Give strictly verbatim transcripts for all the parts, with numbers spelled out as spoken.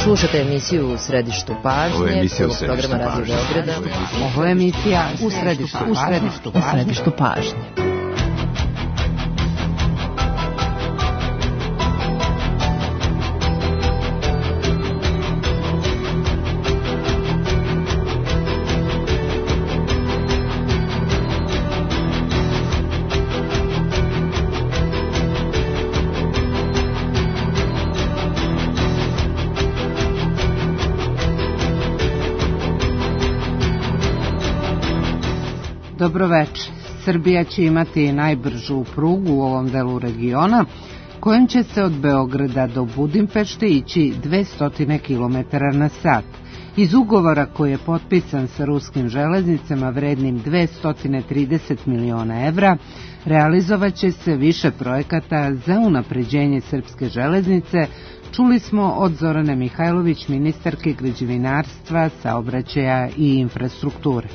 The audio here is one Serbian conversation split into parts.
Slušate emisiju U središtu pažnje, Ovo je emisija U programa središtu Radio pažnje. Beograda. Ovo je emisija U središtu pažnje. U središtu pažnje. U središtu pažnje. Dobroveče. Srbija će imati najbržu prugu u ovom delu regiona, kojim će se od Beograda do Budimpešte ići dvesta kilometara na sat. Iz ugovora koji je potpisan sa ruskim železnicama vrednim dvesta trideset miliona evra, realizovaće se više projekata za unapređenje srpske železnice, čuli smo od Zorane Mihajlović, ministarke građevinarstva, saobraćaja i infrastrukture.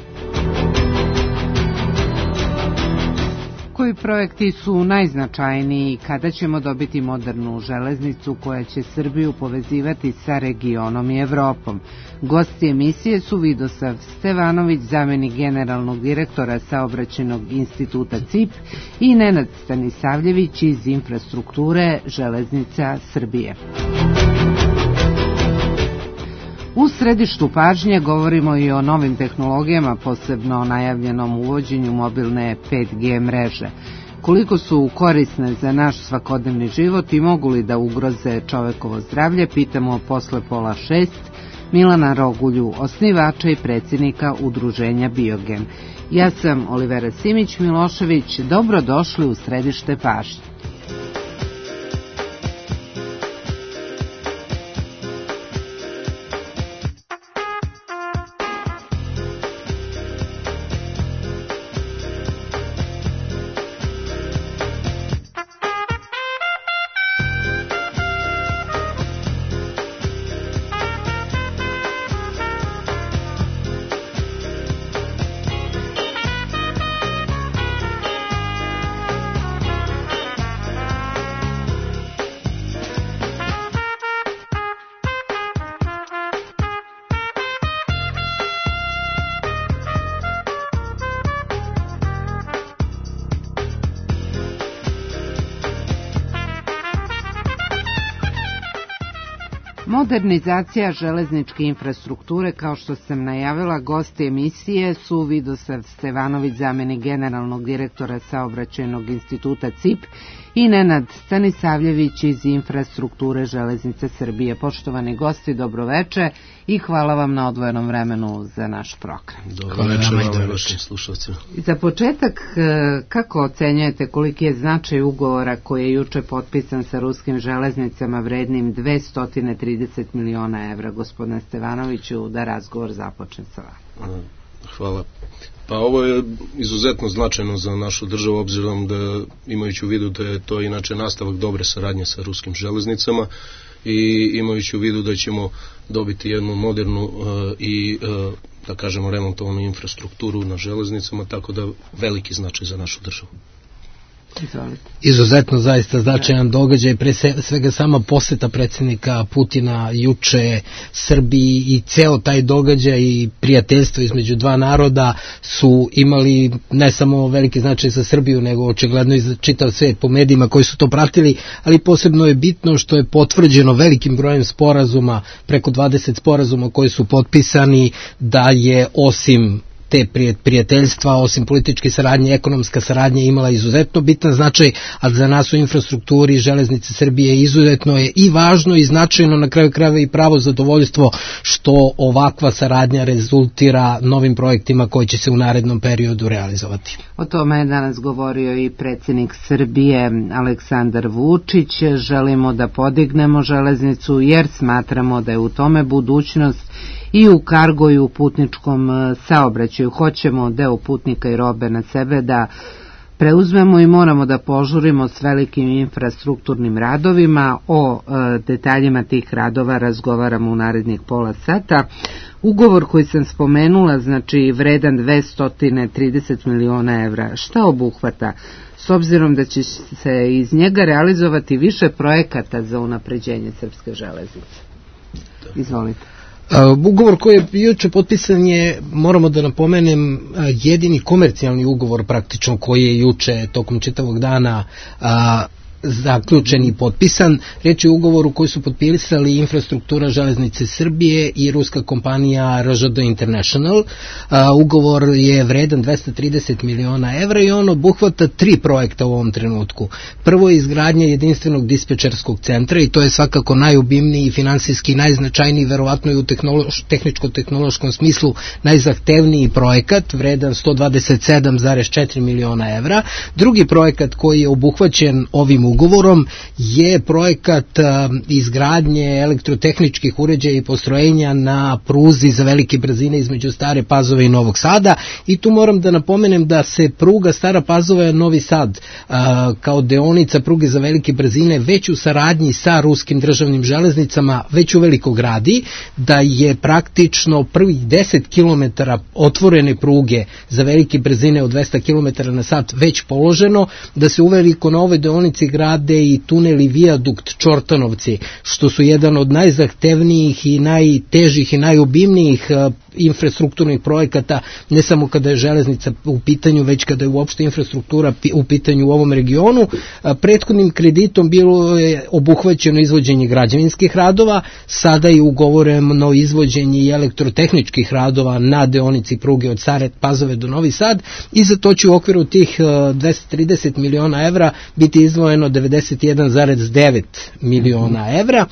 Koji projekti su najznačajniji i kada ćemo dobiti modernu železnicu koja će Srbiju povezivati sa regionom i Evropom? Gosti emisije su Vidosav Stevanović, zamenik generalnog direktora Saobraćajnog instituta C I P, i Nenad Stanisavljević iz infrastrukture Železnica Srbije. U središtu pažnje govorimo i o novim tehnologijama, posebno o najavljenom uvođenju mobilne pet G mreže. Koliko su korisne za naš svakodnevni život i mogu li da ugroze čovekovo zdravlje, pitamo posle pola šest Milana Rogulju, osnivača i predsjednika udruženja Biogen. Ja sam Olivera Simić-Milošević, dobrodošli u središte pažnje. Modernizacija železničke infrastrukture, kao što sam najavila, gosti emisije su Vidosav Stevanović, zamenik generalnog direktora Saobraćajnog instituta C I P, i Nenad Stanisavljević iz infrastrukture Železnice Srbije. Poštovani gosti, dobroveče i hvala vam na odvojenom vremenu za naš program. Dobroveče vam i vašim slušalcima. Za početak, kako ocenjujete koliki je značaj ugovora koji je juče potpisan sa ruskim železnicama vrednim dvesta trideset miliona evra, gospodine Stevanoviću, da razgovor započne sa vama? Hvala. Pa ovo je izuzetno značajno za našu državu, obzirom da, imajući u vidu da je to inače nastavak dobre saradnje sa ruskim železnicama i imajući u vidu da ćemo dobiti jednu modernu uh, i uh, da kažemo remontovanu infrastrukturu na železnicama, tako da veliki značaj za našu državu. Izvolite. Izuzetno zaista značajan događaj, pre svega sama poseta predsjednika Putina juče Srbiji i ceo taj događaj i prijateljstvo između dva naroda su imali ne samo veliki značaj za Srbiju, nego očigledno i za čitav svet po medijima koji su to pratili, ali posebno je bitno što je potvrđeno velikim brojem sporazuma, preko dvadeset sporazuma koji su potpisani, da je osim te prijateljstva, osim političke saradnje, ekonomska saradnja imala izuzetno bitan značaj, a za nas u infrastrukturi Železnice Srbije izuzetno je i važno i značajno, na kraju krajeva i pravo zadovoljstvo što ovakva saradnja rezultira novim projektima koji će se u narednom periodu realizovati. O tome je danas govorio i predsjednik Srbije Aleksandar Vučić. Želimo da podignemo železnicu jer smatramo da je u tome budućnost i u kargo i u putničkom saobraćaju. Hoćemo deo putnika i robe na sebe da preuzmemo i moramo da požurimo s velikim infrastrukturnim radovima. O e, detaljima tih radova razgovaramo u narednih pola sata. Ugovor koji sam spomenula, znači vredan dvesta trideset miliona evra, šta obuhvata? S obzirom da će se iz njega realizovati više projekata za unapređenje srpske železnice. Izvolite. Ugovor koji je juče potpisan je, moramo da napomenem, jedini komercijalni ugovor praktično koji je juče tokom čitavog dana a, zaključen i potpisan. Riječ je o ugovoru koji su potpisali Infrastruktura železnice Srbije i ruska kompanija R Ž D International. Ugovor je vredan dvesta trideset miliona evra i on obuhvata tri projekta u ovom trenutku. Prvo je izgradnja jedinstvenog dispečerskog centra i to je svakako najobimniji i finansijski najznačajniji, verovatno i u tehnološ, tehničko-tehnološkom smislu najzahtevniji projekat, vredan sto dvadeset sedam zarez četiri miliona evra. Drugi projekat koji je obuhvaćen ovim ugovorom je projekat a, izgradnje elektrotehničkih uređaja i postrojenja na pruzi za velike brzine između Stare Pazove i Novog Sada, i tu moram da napomenem da se pruga Stara Pazova Novi Sad a, kao deonica pruge za velike brzine već u saradnji sa ruskim državnim železnicama već uveliko gradi, da je praktično prvih deset kilometara otvorene pruge za velike brzine od dvesta kilometara na sat već položeno, da se uveliko na ovoj deonici grade i tunel i vijadukt Čortanovci, što su jedan od najzahtevnijih i najtežih i najobimnijih infrastrukturnih projekata, ne samo kada je železnica u pitanju, već kada je uopšte infrastruktura u pitanju u ovom regionu. Prethodnim kreditom bilo je obuhvaćeno izvođenje građevinskih radova, sada je ugovoreno izvođenje i elektrotehničkih radova na deonici pruge od Stare Pazove do Novi Sad, i za to će u okviru tih dvesta trideset miliona evra biti izdvojeno devedeset jedan zarez devet miliona evra.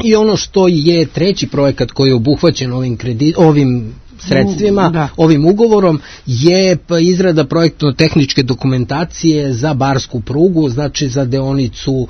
I ono što je treći projekat koji je obuhvaćen ovim, kredi, ovim sredstvima, da. ovim ugovorom, je izrada projektno-tehničke dokumentacije za barsku prugu, znači za deonicu uh,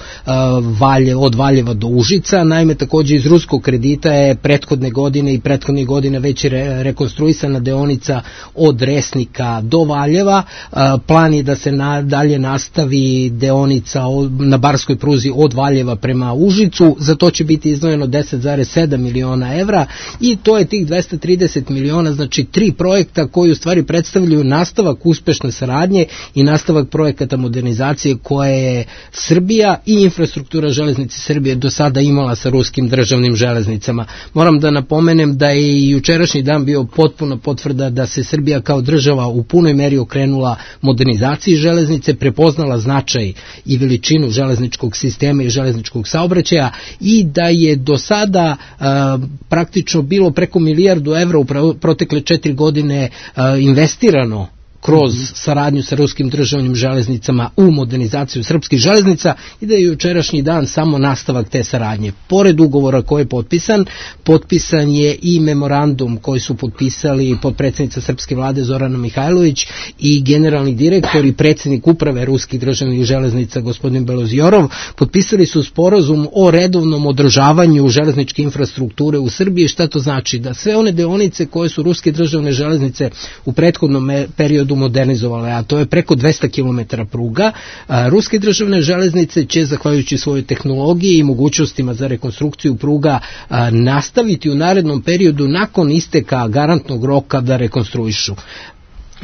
Valje, od Valjeva do Užica. Naime, takođe iz ruskog kredita je prethodne godine i prethodne godine već re, rekonstruisana deonica od Resnika do Valjeva. Uh, plan je da se na, dalje nastavi deonica od, na barskoj pruzi od Valjeva prema Užicu. Za to će biti izdvojeno deset zarez sedam miliona evra, i to je tih dvesta trideset miliona, znači tri projekta koji u stvari predstavljaju nastavak uspešne saradnje i nastavak projekata modernizacije koje je Srbija i Infrastruktura železnice Srbije do sada imala sa ruskim državnim železnicama. Moram da napomenem da je i jučerašnji dan bio potpuno potvrda da se Srbija kao država u punoj meri okrenula modernizaciji železnice, prepoznala značaj i veličinu železničkog sistema i železničkog saobraćaja, i da je do sada a, praktično bilo preko milijardu evra u protekle četiri godine a, investirano kroz saradnju sa ruskim državnim železnicama u modernizaciju srpskih železnica, i da je jučerašnji dan samo nastavak te saradnje. Pored ugovora koji je potpisan, potpisan je i memorandum koji su potpisali potpredsjednica srpske vlade Zorana Mihajlović i generalni direktor i predsjednik uprave ruskih državnih železnica gospodin Belozorov. Potpisali su sporazum o redovnom održavanju železničke infrastrukture u Srbiji. Šta to znači? Da sve one deonice koje su ruske državne železnice u prethodnom periodu modernizovale, a to je preko dvesta kilometara pruga, a, ruske državne železnice će, zahvaljujući svojoj tehnologiji i mogućnostima za rekonstrukciju pruga, a, nastaviti u narednom periodu nakon isteka garantnog roka da rekonstruišu.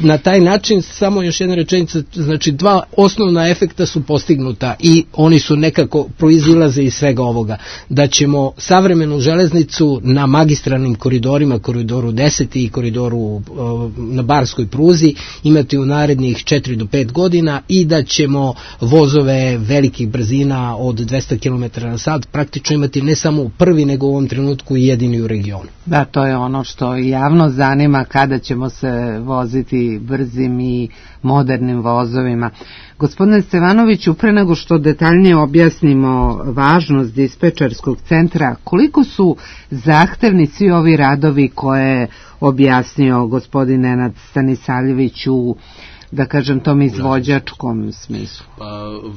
Na taj način, samo još jedna rečenica, znači dva osnovna efekta su postignuta i oni su nekako proizilaze iz svega ovoga. Da ćemo savremenu železnicu na magistralnim koridorima, koridoru deset i koridoru na barskoj pruzi imati u narednih četiri do pet godina, i da ćemo vozove velikih brzina od dvesta kilometara na sat praktično imati ne samo u prvi, nego u ovom trenutku i jedini u regionu. Da, to je ono što javno zanima, kada ćemo se voziti brzim i modernim vozovima. Gospodine Stevanoviću, pre nego što detaljnije objasnimo važnost dispečerskog centra, koliko su zahtevni svi ovi radovi koje je objasnio gospodin Nenad Stanisavljević u, da kažem, tom izvođačkom smislu? Pa,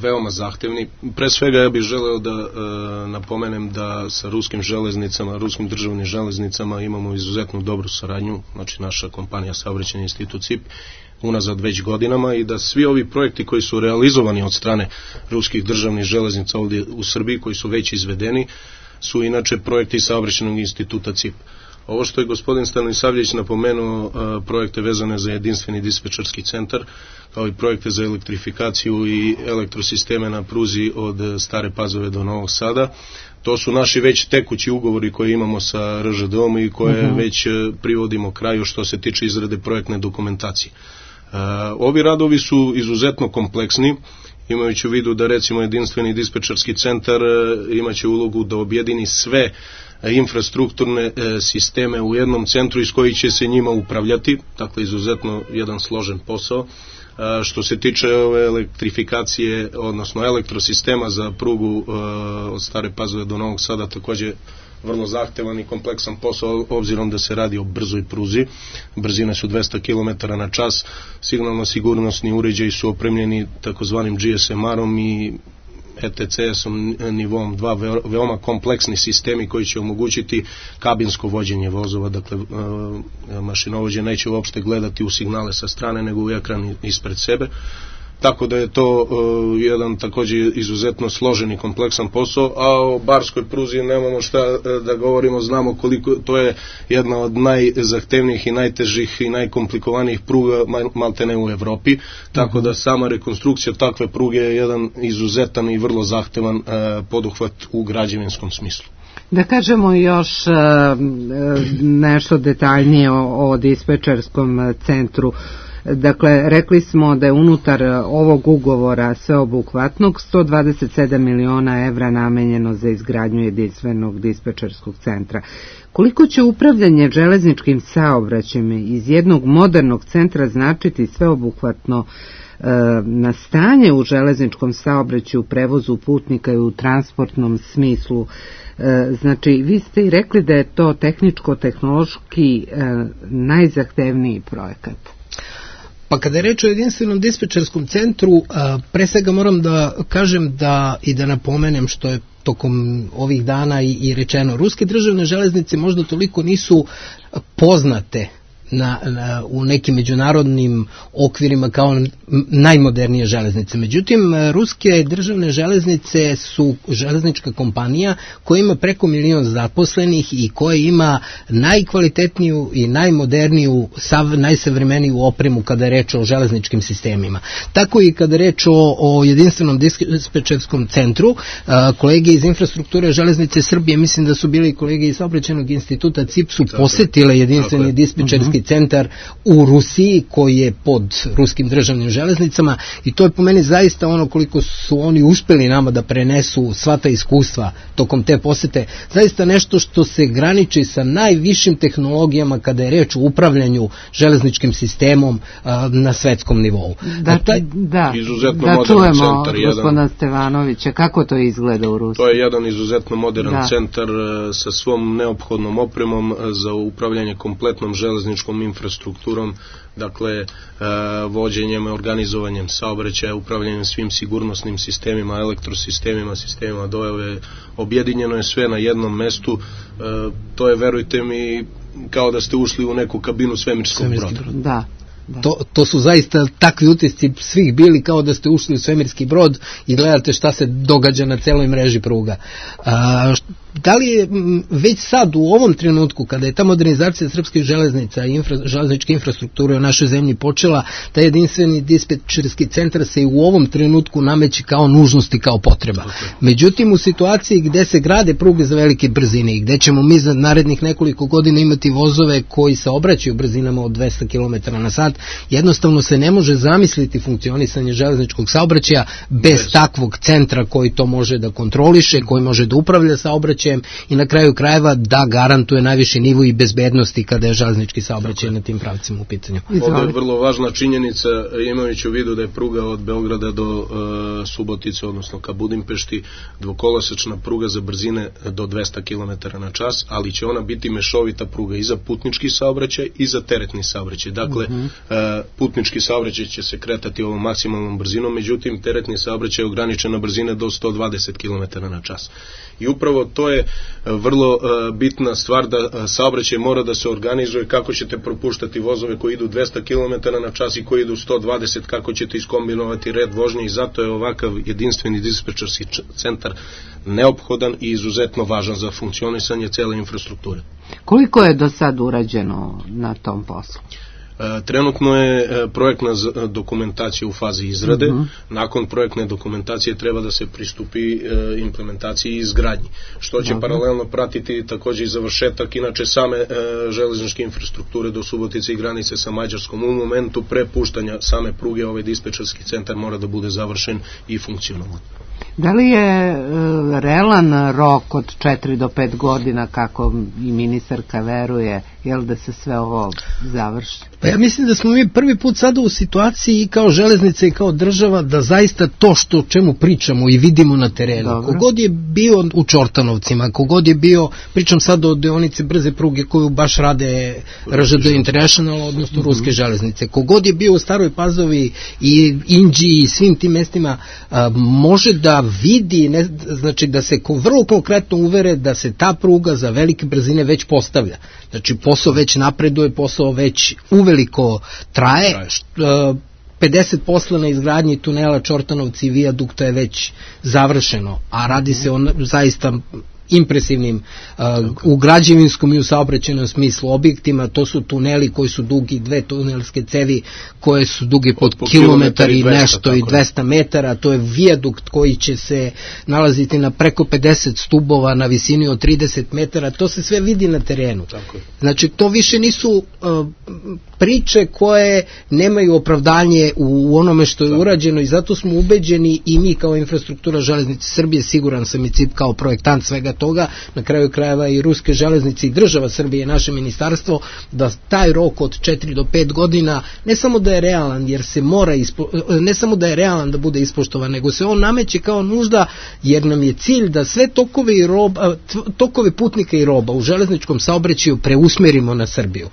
veoma zahtevni. Pre svega ja bih želeo da e, napomenem da sa ruskim železnicama, ruskim državnim železnicama imamo izuzetno dobru saradnju, znači naša kompanija Saobraćajni institut C I P unazad već godinama, i da svi ovi projekti koji su realizovani od strane ruskih državnih železnica ovdje u Srbiji, koji su već izvedeni, su inače projekti Saobraćajnog instituta C I P. Ovo što je gospodin Stanisavljević napomenuo, projekte vezane za jedinstveni dispečerski centar, kao i projekte za elektrifikaciju i elektrosisteme na pruzi od Stare Pazove do Novog Sada, To su naši već tekući ugovori koje imamo sa R Ž D-om i koje uh-huh. već privodimo kraju što se tiče izrade projektne dokumentacije. Uh, ovi radovi su izuzetno kompleksni, imajući u vidu da recimo jedinstveni dispečerski centar uh, imaće ulogu da objedini sve infrastrukturne uh, sisteme u jednom centru iz kojih će se njima upravljati, dakle izuzetno jedan složen posao. A, što se tiče ove elektrifikacije, odnosno elektrosistema za prugu uh, od Stare Pazove do Novog Sada, takođe vrlo zahtevan i kompleksan posao, obzirom da se radi o brzoj pruzi. Brzine su dvesta kilometara na čas, signalno-sigurnosni uređaji su opremljeni takozvanim G S M R-om i E T C S-om nivom dva, veoma kompleksni sistemi koji će omogućiti kabinsko vođenje vozova, dakle mašinovođe neće uopšte gledati u signale sa strane nego u ekran ispred sebe. Tako da je to uh, jedan također izuzetno složen i kompleksan posao, a o barskoj pruzi nemamo šta da govorimo, znamo koliko to je jedna od najzahtevnijih i najtežih i najkomplikovanijih pruga maltene u Evropi, tako da sama rekonstrukcija takve pruge je jedan izuzetan i vrlo zahtevan uh, poduhvat u građevinskom smislu. Da kažemo još uh, nešto detaljnije o, o dispečerskom centru. Dakle, rekli smo da je unutar ovog ugovora sveobuhvatnog sto dvadeset sedam miliona evra namenjeno za izgradnju jedinstvenog dispečerskog centra. Koliko će upravljanje železničkim saobraćajem iz jednog modernog centra značiti sveobuhvatno e, na stanje u železničkom saobraćaju, u prevozu putnika i u transportnom smislu? E, znači, vi ste i rekli da je to tehničko-tehnološki e, najzahtevniji projekat. Pa kada je reč o jedinstvenom dispečerskom centru, pre svega moram da kažem da i da napomenem što je tokom ovih dana i, i rečeno, ruske državne železnice možda toliko nisu poznate Na, na, u nekim međunarodnim okvirima kao najmodernije železnice. Međutim, ruske državne železnice su železnička kompanija koja ima preko milion zaposlenih i koja ima najkvalitetniju i najmoderniju, sav, najsavremeniju opremu kada je reč o železničkim sistemima. Tako i kada je reč o, o jedinstvenom dispečerskom centru, a, kolege iz infrastrukture železnice Srbije, mislim da su bili kolege iz Saobraćajnog instituta C I P su posetile jedinstveni dispečerski centar u Rusiji koji je pod ruskim državnim železnicama i to je po meni zaista ono koliko su oni uspeli nama da prenesu sva ta iskustva tokom te posete, zaista nešto što se graniči sa najvišim tehnologijama kada je reč o upravljanju železničkim sistemom a, na svetskom nivou. Da, taj, da, da čujemo gospodina Stevanovića, kako to izgleda u Rusiji? To je jedan izuzetno modern da. centar sa svom neophodnom opremom za upravljanje kompletnom železničkom infrastrukturom, dakle vođenjem, organizovanjem saobraćaja, upravljanjem svim sigurnosnim sistemima, elektrosistemima, sistemima dojave, objedinjeno je sve na jednom mestu. To je, verujte mi, kao da ste ušli u neku kabinu svemirskog broda. Da. Da. To, to su zaista takvi utisci svih bili kao da ste ušli u svemirski brod i gledate šta se događa na celoj mreži pruga. A, da li je već sad u ovom trenutku kada je ta modernizacija srpskih železnica i infra, železničke infrastrukture u našoj zemlji počela, taj jedinstveni dispečerski centar se i u ovom trenutku nameće kao nužnost i kao potreba. Međutim, u situaciji gde se grade pruge za velike brzine i gde ćemo mi za narednih nekoliko godina imati vozove koji se obraćaju brzinama od dvesta kilometara na sat, jednostavno se ne može zamisliti funkcionisanje železničkog saobraćaja bez yes. takvog centra koji to može da kontroliše, koji može da upravlja saobraćajem i na kraju krajeva da garantuje najviši nivo i bezbednosti kada je železnički saobraćaj na tim pravcima u pitanju. Ovdje je vrlo važna činjenica, imajući u vidu da je pruga od Beograda do uh, Subotice, odnosno ka Budimpešti, dvokolosečna pruga za brzine do dvesta kilometara na čas, ali će ona biti mešovita pruga i za putnički saobraćaj i za teretni saobraćaj. Dakle, uh-huh. uh, putnički saobraćaj će se kretati ovom maksimalnom brzinom, međutim, teretni saobraćaj je ograničen na brzine do sto dvadeset kilometara na čas. I upravo to je vrlo uh, bitna stvar da uh, saobraćaj mora da se organizuje, kako ćete propuštati vozove koji idu dvesta kilometara na čas i koji idu sto dvadeset, kako ćete iskombinovati red vožnje i zato je ovakav jedinstveni dispečerski centar neophodan i izuzetno važan za funkcionisanje cele infrastrukture. Koliko je do sad urađeno na tom poslu? Trenutno je projektna dokumentacija u fazi izrade. Uh-huh. Nakon projektne dokumentacije treba da se pristupi implementaciji i izgradnji, što će uh-huh. paralelno pratiti također i završetak inače same železničke infrastrukture do Subotice i granice sa Mađarskom. U momentu prepuštanja same pruge ovaj dispečerski centar mora da bude završen i funkcionalan. Da li je e, realan rok od četiri do pet godina, kako i ministarka veruje, jel da se sve ovo završi? Pa ja mislim da smo mi prvi put sada u situaciji i kao železnica i kao država da zaista to što o čemu pričamo i vidimo na terenu. Dobro. Kogod je bio u Čortanovcima, kogod je bio, pričam sada o deonici brze pruge koju baš rade R Ž D International, odnosno mm-hmm. ruske železnice, kogod je bio u Staroj Pazovi i Inđiji i svim tim mestima, a, može da vidi, ne, znači da se ko, vrlo konkretno uvere da se ta pruga za velike brzine već postavlja. Znači posao već napreduje, posao već uveliko traje, traje. Što, pedeset posla na izgradnji tunela Čortanovci i vijadukta je već završeno, a radi se o zaista impresivnim uh, u građevinskom i u saobraćajnom smislu objektima. To su tuneli koji su dugi, dve tunelske cevi koje su duge pod po kilometar i nešto i dvesta metara. To je vijadukt koji će se nalaziti na preko pedeset stubova na visini od trideset metara. To se sve vidi na terenu. Tako. Znači to više nisu uh, priče koje nemaju opravdanje u onome što je tako urađeno, i zato smo ubeđeni i mi kao infrastruktura železnice Srbije, siguran sam i C I P kao projektant svega toga, na kraju krajeva i ruske železnice i država Srbije, naše ministarstvo, da taj rok od četiri do pet godina ne samo da je realan, jer se mora ispo, ne samo da je realan da bude ispoštovan, nego se on nameće kao nužda, jer nam je cilj da sve tokove i roba, tokove putnika i roba u železničkom saobraćaju preusmerimo na Srbiju.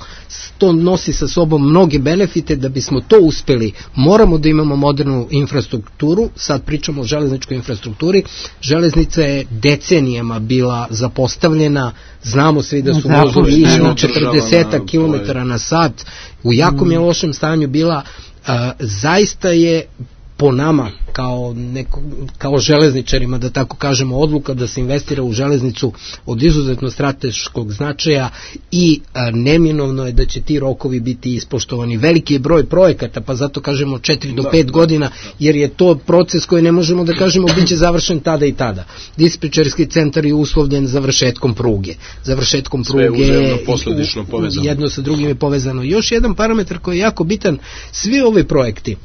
To nosi sa sobom mnoge benefite. Da bismo to uspeli, moramo da imamo modernu infrastrukturu. Sad pričamo o železničkoj infrastrukturi. Železnica je decenijama bila zapostavljena, znamo svi da su vozovi išli na četrdeset kilometara na sat, u jakom je lošem stanju bila. A, zaista je po nama kao, neko, kao železničarima, da tako kažemo, odluka da se investira u železnicu od izuzetno strateškog značaja i a, neminovno je da će ti rokovi biti ispoštovani. Veliki je broj projekata, pa zato kažemo četiri do pet godina, jer je to proces koji ne možemo da kažemo bit će završen tada i tada. Dispečerski centar je uslovljen završetkom pruge. Završetkom pruge je posledično povezano. Jedno sa drugim je povezano. Još jedan parametar koji je jako bitan, svi ovi projekti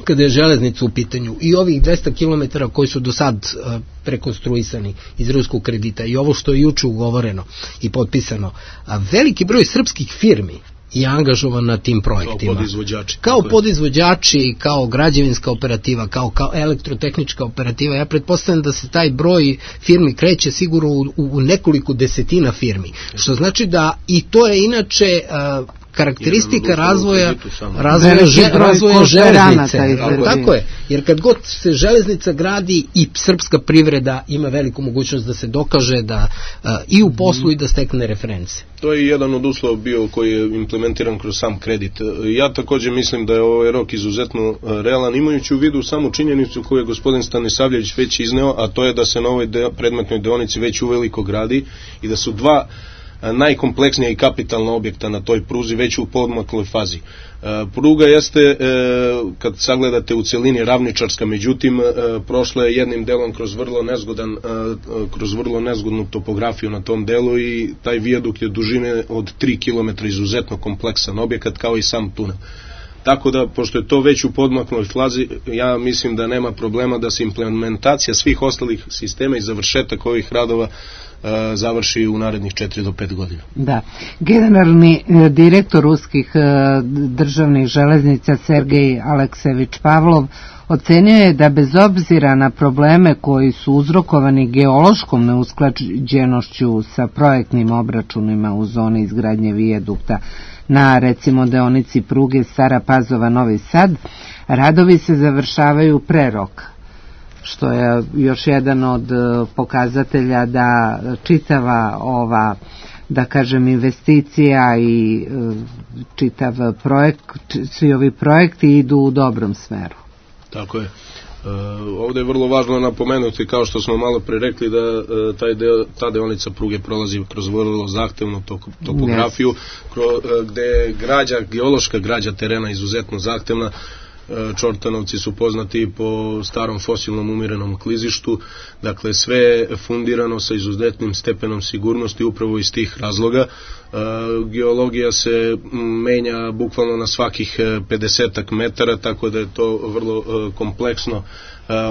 kada je železnica u pitanju i ovih dvesta kilometara koji su do sad uh, prekonstruisani iz ruskog kredita i ovo što je juče ugovoreno i potpisano, a veliki broj srpskih firmi je angažovan na tim projektima. Kao podizvođači. Kao podizvođači, kao građevinska operativa, kao, kao elektrotehnička operativa. Ja pretpostavljam da se taj broj firmi kreće sigurno u, u nekoliko desetina firmi. Što znači da i to je inače uh, karakteristika razvoja razvoja, že, razvoja železnice. Tako je, jer kad god se železnica gradi i srpska privreda ima veliku mogućnost da se dokaže da uh, i u poslu i da stekne reference. To je jedan od uslova bio koji je implementiran kroz sam kredit. Ja također mislim da je ovaj rok izuzetno realan, imajući u vidu samu činjenicu koju je gospodin Stanisavljević već izneo, a to je da se na ovoj de, predmetnoj deonici već uveliko gradi i da su dva najkompleksnija i kapitalna objekta na toj pruzi već u podmakloj fazi. E, pruga jeste, e, kad sagledate u celini, ravničarska, međutim e, prošla je jednim delom kroz vrlo nezgodan, e, kroz vrlo nezgodnu topografiju na tom delu i taj vijadukt je dužine od tri kilometra, izuzetno kompleksan objekat kao i sam tunel. Tako da, pošto je to već u podmakloj fazi, ja mislim da nema problema da se implementacija svih ostalih sistema i završetak ovih radova e, završi u narednih četiri do pet godina. Da. Generalni e, direktor ruskih e, državnih železnica Sergej Aleksejević Pavlov ocenio je da bez obzira na probleme koji su uzrokovani geološkom neusklađenošću sa projektnim obračunima u zoni izgradnje vijadukta na, recimo, deonici pruge Stara Pazova-Novi Sad, radovi se završavaju pre roka, što je još jedan od pokazatelja da čitava ova, da kažem, investicija i čitav projekt, svi ovi projekti idu u dobrom smeru. Tako je. Ovde je vrlo važno napomenuti, kao što smo malo pre rekli, da taj deo, ta deonica pruge prolazi kroz vrlo zahtevnu topografiju, gde je građa, geološka građa terena izuzetno zahtevna. Čortanovci su poznati po starom fosilnom umirenom klizištu, dakle sve je fundirano sa izuzetnim stepenom sigurnosti upravo iz tih razloga. Geologija se menja bukvalno na svakih pedesetak metara, tako da je to vrlo kompleksno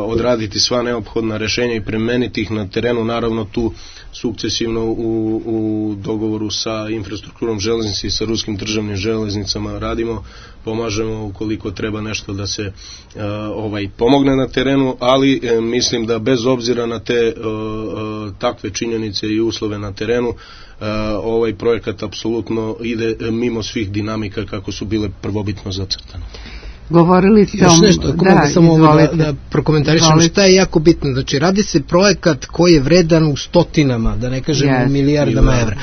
odraditi sva neophodna rešenja i premeniti ih na terenu, naravno tu sukcesivno u, u dogovoru sa infrastrukturom železnice i sa ruskim državnim železnicama radimo, pomažemo ukoliko treba nešto da se uh, ovaj pomogne na terenu, ali e, mislim da bez obzira na te uh, uh, takve činjenice i uslove na terenu, uh, ovaj projekat apsolutno ide mimo svih dinamika kako su bile prvobitno zacrtane. Govorili ste još nešto, ako da, mogu samo da, da prokomentarišem šta je jako bitno. Znači, radi se projekat koji je vredan u stotinama, da ne kažem yes. u milijardama evra.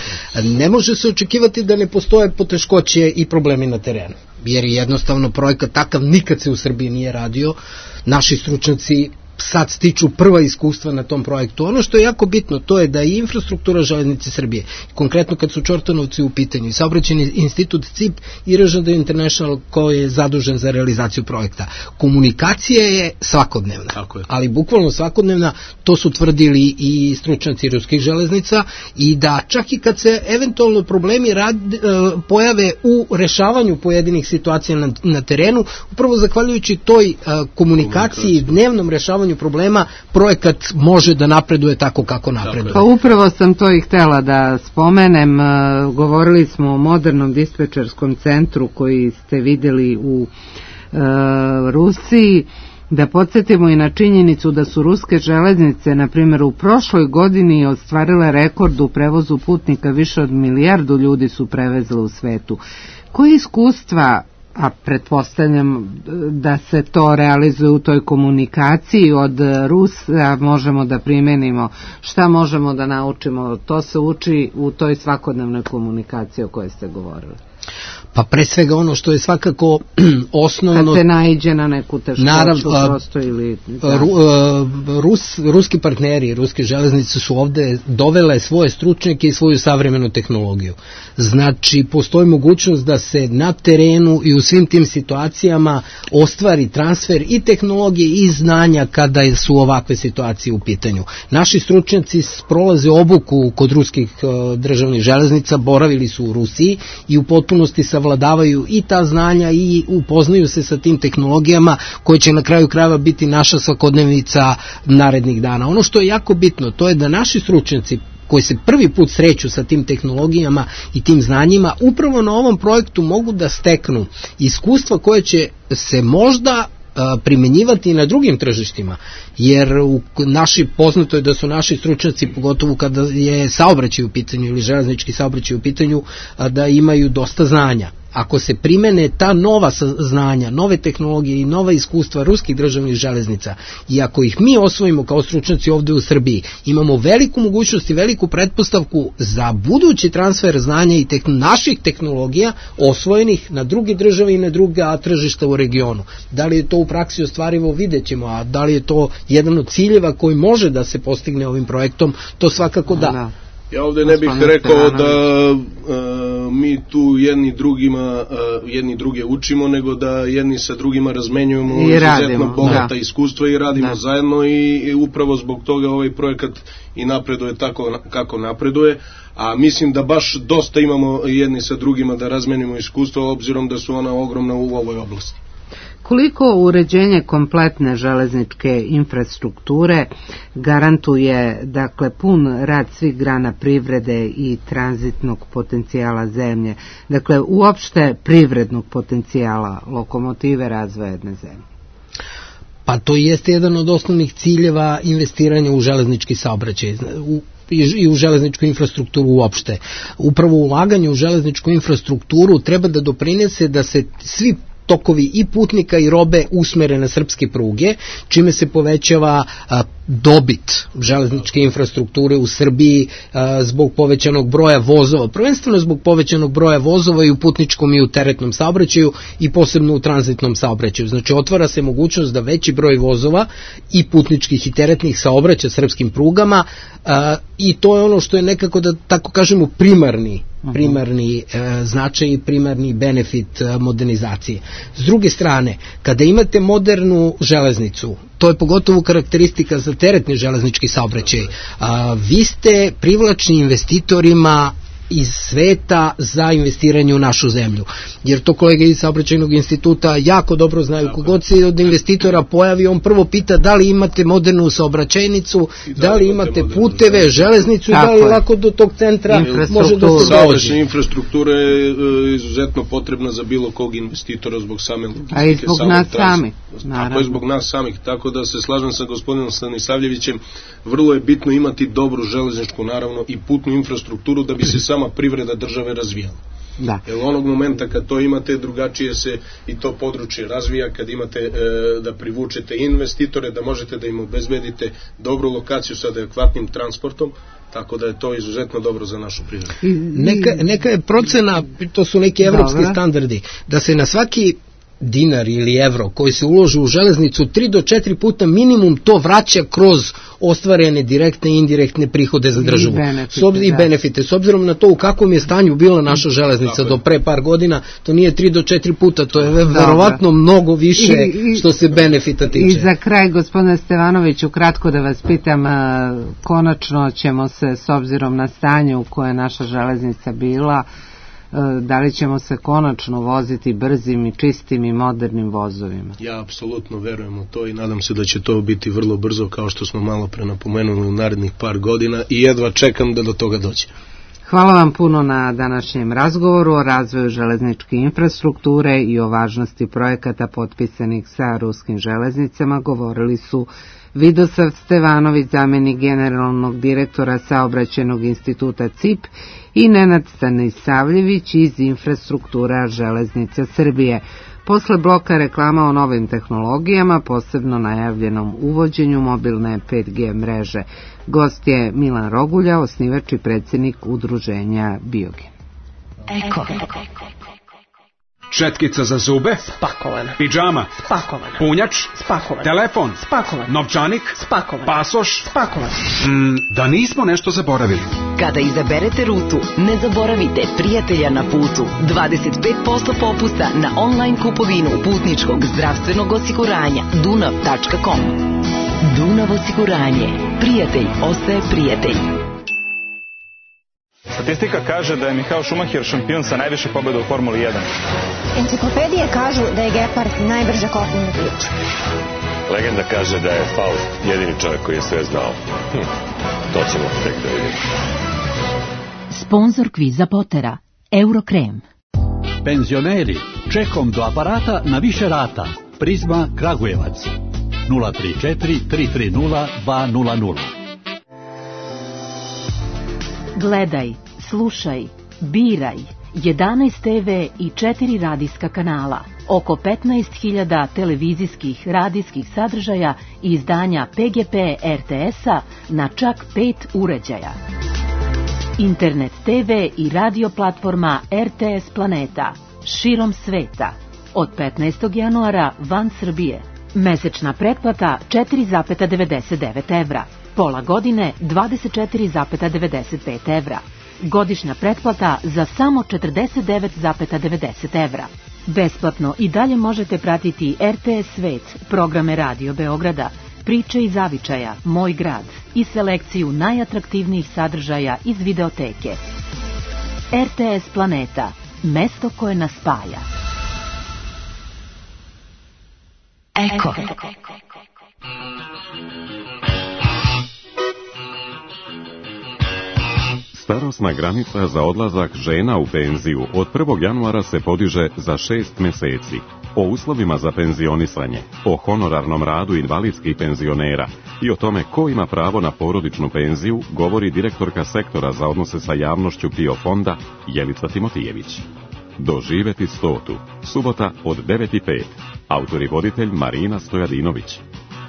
Ne može se očekivati da ne postoje poteškoće i problemi na terenu, jer jednostavno projekat takav nikad se u Srbiji nije radio. Naši stručnjaci sad stiču prva iskustva na tom projektu. Ono što je jako bitno, to je da i infrastruktura železnice Srbije, konkretno kad su Čortanovci u pitanju, i saobraćajni institut C I P i R Ž D International koji je zadužen za realizaciju projekta. Komunikacija je svakodnevna, je. ali bukvalno svakodnevna, to su tvrdili i stručnjaci ruskih železnica, i da čak i kad se eventualno problemi rad, pojave u rešavanju pojedinih situacija na, na terenu, upravo zahvaljujući toj komunikaciji, dnevnom rešavanju problema, projekat može da napreduje tako kako napreduje. Pa upravo sam to i htela da spomenem. Govorili smo o modernom dispečerskom centru koji ste vidjeli u e, Rusiji. Da podsjetimo i na činjenicu da su ruske železnice, na primjer, u prošloj godini ostvarile rekord u prevozu putnika, više od milijardu ljudi su prevezle u svetu. Koje iskustva, a pretpostavljam da se to realizuje u toj komunikaciji, od Rusa možemo da primenimo, šta možemo da naučimo, to se uči u toj svakodnevnoj komunikaciji o kojoj ste govorili? Pa pre svega ono što je svakako osnovno... Kad se naiđe na neku teškoću prosto ili... Da. Rus, ruski partneri, ruske železnice su ovde dovele svoje stručnjake i svoju savremenu tehnologiju. Znači, postoji mogućnost da se na terenu i u svim tim situacijama ostvari transfer i tehnologije i znanja kada su ovakve situacije u pitanju. Naši stručnjaci prolaze obuku kod ruskih državnih železnica, boravili su u Rusiji i u potpunosti savladavaju i ta znanja i upoznaju se sa tim tehnologijama koje će na kraju krajeva biti naša svakodnevnica narednih dana. Ono što je jako bitno, to je da naši stručnjaci koji se prvi put sreću sa tim tehnologijama i tim znanjima, upravo na ovom projektu mogu da steknu iskustva koje će se možda primenjivati i na drugim tržištima, jer u naši, poznato je da su naši stručnjaci, pogotovo kada je saobraćaj u pitanju ili železnički saobraćaj u pitanju, da imaju dosta znanja. Ako se primene ta nova znanja, nove tehnologije i nova iskustva ruskih državnih železnica, i ako ih mi osvojimo kao stručnjaci ovde u Srbiji, imamo veliku mogućnost i veliku pretpostavku za budući transfer znanja i tehn- naših tehnologija osvojenih na druge države i na druga tržišta u regionu. Da li je to u praksi ostvarivo, vidjet ćemo, a da li je to jedan od ciljeva koji može da se postigne ovim projektom, to svakako da. Ja ovde ne bih rekao da uh, mi tu jedni drugima uh, jedni druge učimo, nego da jedni sa drugima razmenjujemo I izuzetno radimo, bogata da. iskustva i radimo da. zajedno i, i upravo zbog toga ovaj projekat i napreduje tako kako napreduje, a mislim da baš dosta imamo jedni sa drugima da razmenimo iskustva, obzirom da su ona ogromna u ovoj oblasti. Koliko uređenje kompletne železničke infrastrukture garantuje, dakle, pun rad svih grana privrede i tranzitnog potencijala zemlje, dakle, uopšte privrednog potencijala lokomotive razvoja jedne zemlje? Pa to jeste jedan od osnovnih ciljeva investiranja u železnički saobraćaj, u i u železničku infrastrukturu uopšte. Upravo ulaganje u železničku infrastrukturu treba da doprinese da se svi tokovi i putnika i robe usmere na srpske pruge, čime se povećava a, dobit železničke infrastrukture u Srbiji a, zbog povećanog broja vozova, prvenstveno zbog povećanog broja vozova i u putničkom i u teretnom saobraćaju i posebno u tranzitnom saobraćaju. Znači otvara se mogućnost da veći broj vozova i putničkih i teretnih saobraća srpskim prugama a, i to je ono što je nekako, da tako kažemo, primarni primarni e, značaj i primarni benefit e, modernizacije. S druge strane, kada imate modernu železnicu, to je pogotovo karakteristika za teretni železnički saobraćaj, a, vi ste privlačni investitorima iz sveta za investiranje u našu zemlju. Jer to kolege iz Saobraćajnog instituta jako dobro znaju. Kogod se od investitora pojavi, on prvo pita da li imate modernu saobraćajnicu, da li imate puteve, železnicu i da li lako do tog centra može da se dođe. Saobraćajna infrastruktura je izuzetno potrebna za bilo kog investitora zbog same logistike. A i zbog nas samih. Tako je, zbog nas samih. Tako da se slažem sa gospodinom Stanisavljevićem, vrlo je bitno imati dobru železničku, naravno, i putnu infrastrukturu da bi se sama privreda države razvijala. Da. Jer onog momenta kad to imate, drugačije se i to područje razvija, kad imate e, da privučete investitore, da možete da im obezbedite dobru lokaciju sa adekvatnim transportom, tako da je to izuzetno dobro za našu privredu. Neka, neka je procena, to su neki evropski Dobre. standardi, da se na svaki dinar ili evro koji se uloži u železnicu tri do četiri puta minimum to vraća kroz ostvarene direktne i indirektne prihode za državu. I benefite, Sob, i benefite. S obzirom na to u kakvom je stanju bila naša železnica do pre par godina, to nije tri do četiri puta, to je verovatno mnogo više I, i, što se benefita tiče. I za kraj, gospodine Stevanoviću, kratko da vas pitam, konačno ćemo se, s obzirom na stanje u koje je naša železnica bila, da li ćemo se konačno voziti brzim i čistim i modernim vozovima? Ja apsolutno verujem u to i nadam se da će to biti vrlo brzo, kao što smo malo pre napomenuli, u narednih par godina, i jedva čekam da do toga dođe. Hvala vam puno na današnjem razgovoru o razvoju železničke infrastrukture i o važnosti projekata potpisanih sa ruskim železnicama. Govorili su Vidosav Stevanović, zamenik generalnog direktora Saobraćajnog instituta C I P, i Nenad Stanisavljević iz Infrastruktura železnica Srbije. Posle bloka reklama o novim tehnologijama, posebno najavljenom uvođenju mobilne pet G mreže. Gost je Milan Rogulja, osnivač i predsjednik udruženja Biogen. Eko. Četkica za zube? Spakovana. Pidžama? Spakovana. Punjač? Spakovan. Telefon? Spakovan. Novčanik? Spakovan. Pasoš? Spakovan. Mm, da nismo nešto zaboravili. Kada izaberete rutu, ne zaboravite prijatelja na putu. dvadeset pet posto popusta na online kupovinu putničkog zdravstvenog osiguranja dunav tačka com. Dunav osiguranje. Prijatelj ostaje prijatelj. Statistika kaže da je Michael Schumacher šampion sa najviše pobjeda u Formuli jedan. Enciklopedije kažu da je Gepard najbrža kopnena priča. Legenda kaže da je Faust jedini čovjek koji je sve znao. Hm, to ćemo tek da vidimo. Sponzor kviza Potera, Eurokrem. Penzioneri, čekom do aparata na više rata. Prizma Kragujevac. nula tri četiri tri tri nula dva nula nula. Gledaj, slušaj, biraj, jedanaest te ve i četiri radijska kanala, oko petnaest hiljada televizijskih radijskih sadržaja i izdanja P G P R T S-a na čak pet uređaja. Internet te ve i radio platforma R T S Planeta, širom sveta, od petnaestog januara van Srbije. Mesečna pretplata četiri zarez devedeset devet evra. Pola godine dvadeset četiri zarez devedeset pet evra. Godišnja pretplata za samo četrdeset devet zarez devedeset evra. Besplatno i dalje možete pratiti R T S Svet, programe Radio Beograda, priče iz zavičaja, Moj grad i selekciju najatraktivnijih sadržaja iz videoteke. R T S Planeta, mesto koje nas spaja. Eko. Starosna granica za odlazak žena u penziju od prvog januara se podiže za šest meseci. O uslovima za penzionisanje, o honorarnom radu invalidskih penzionera i o tome ko ima pravo na porodičnu penziju govori direktorka sektora za odnose sa javnošću P I O fonda Jelica Timotijević. Doživeti stotu. Subota od devet i pet. Autor i voditelj Marina Stojadinović.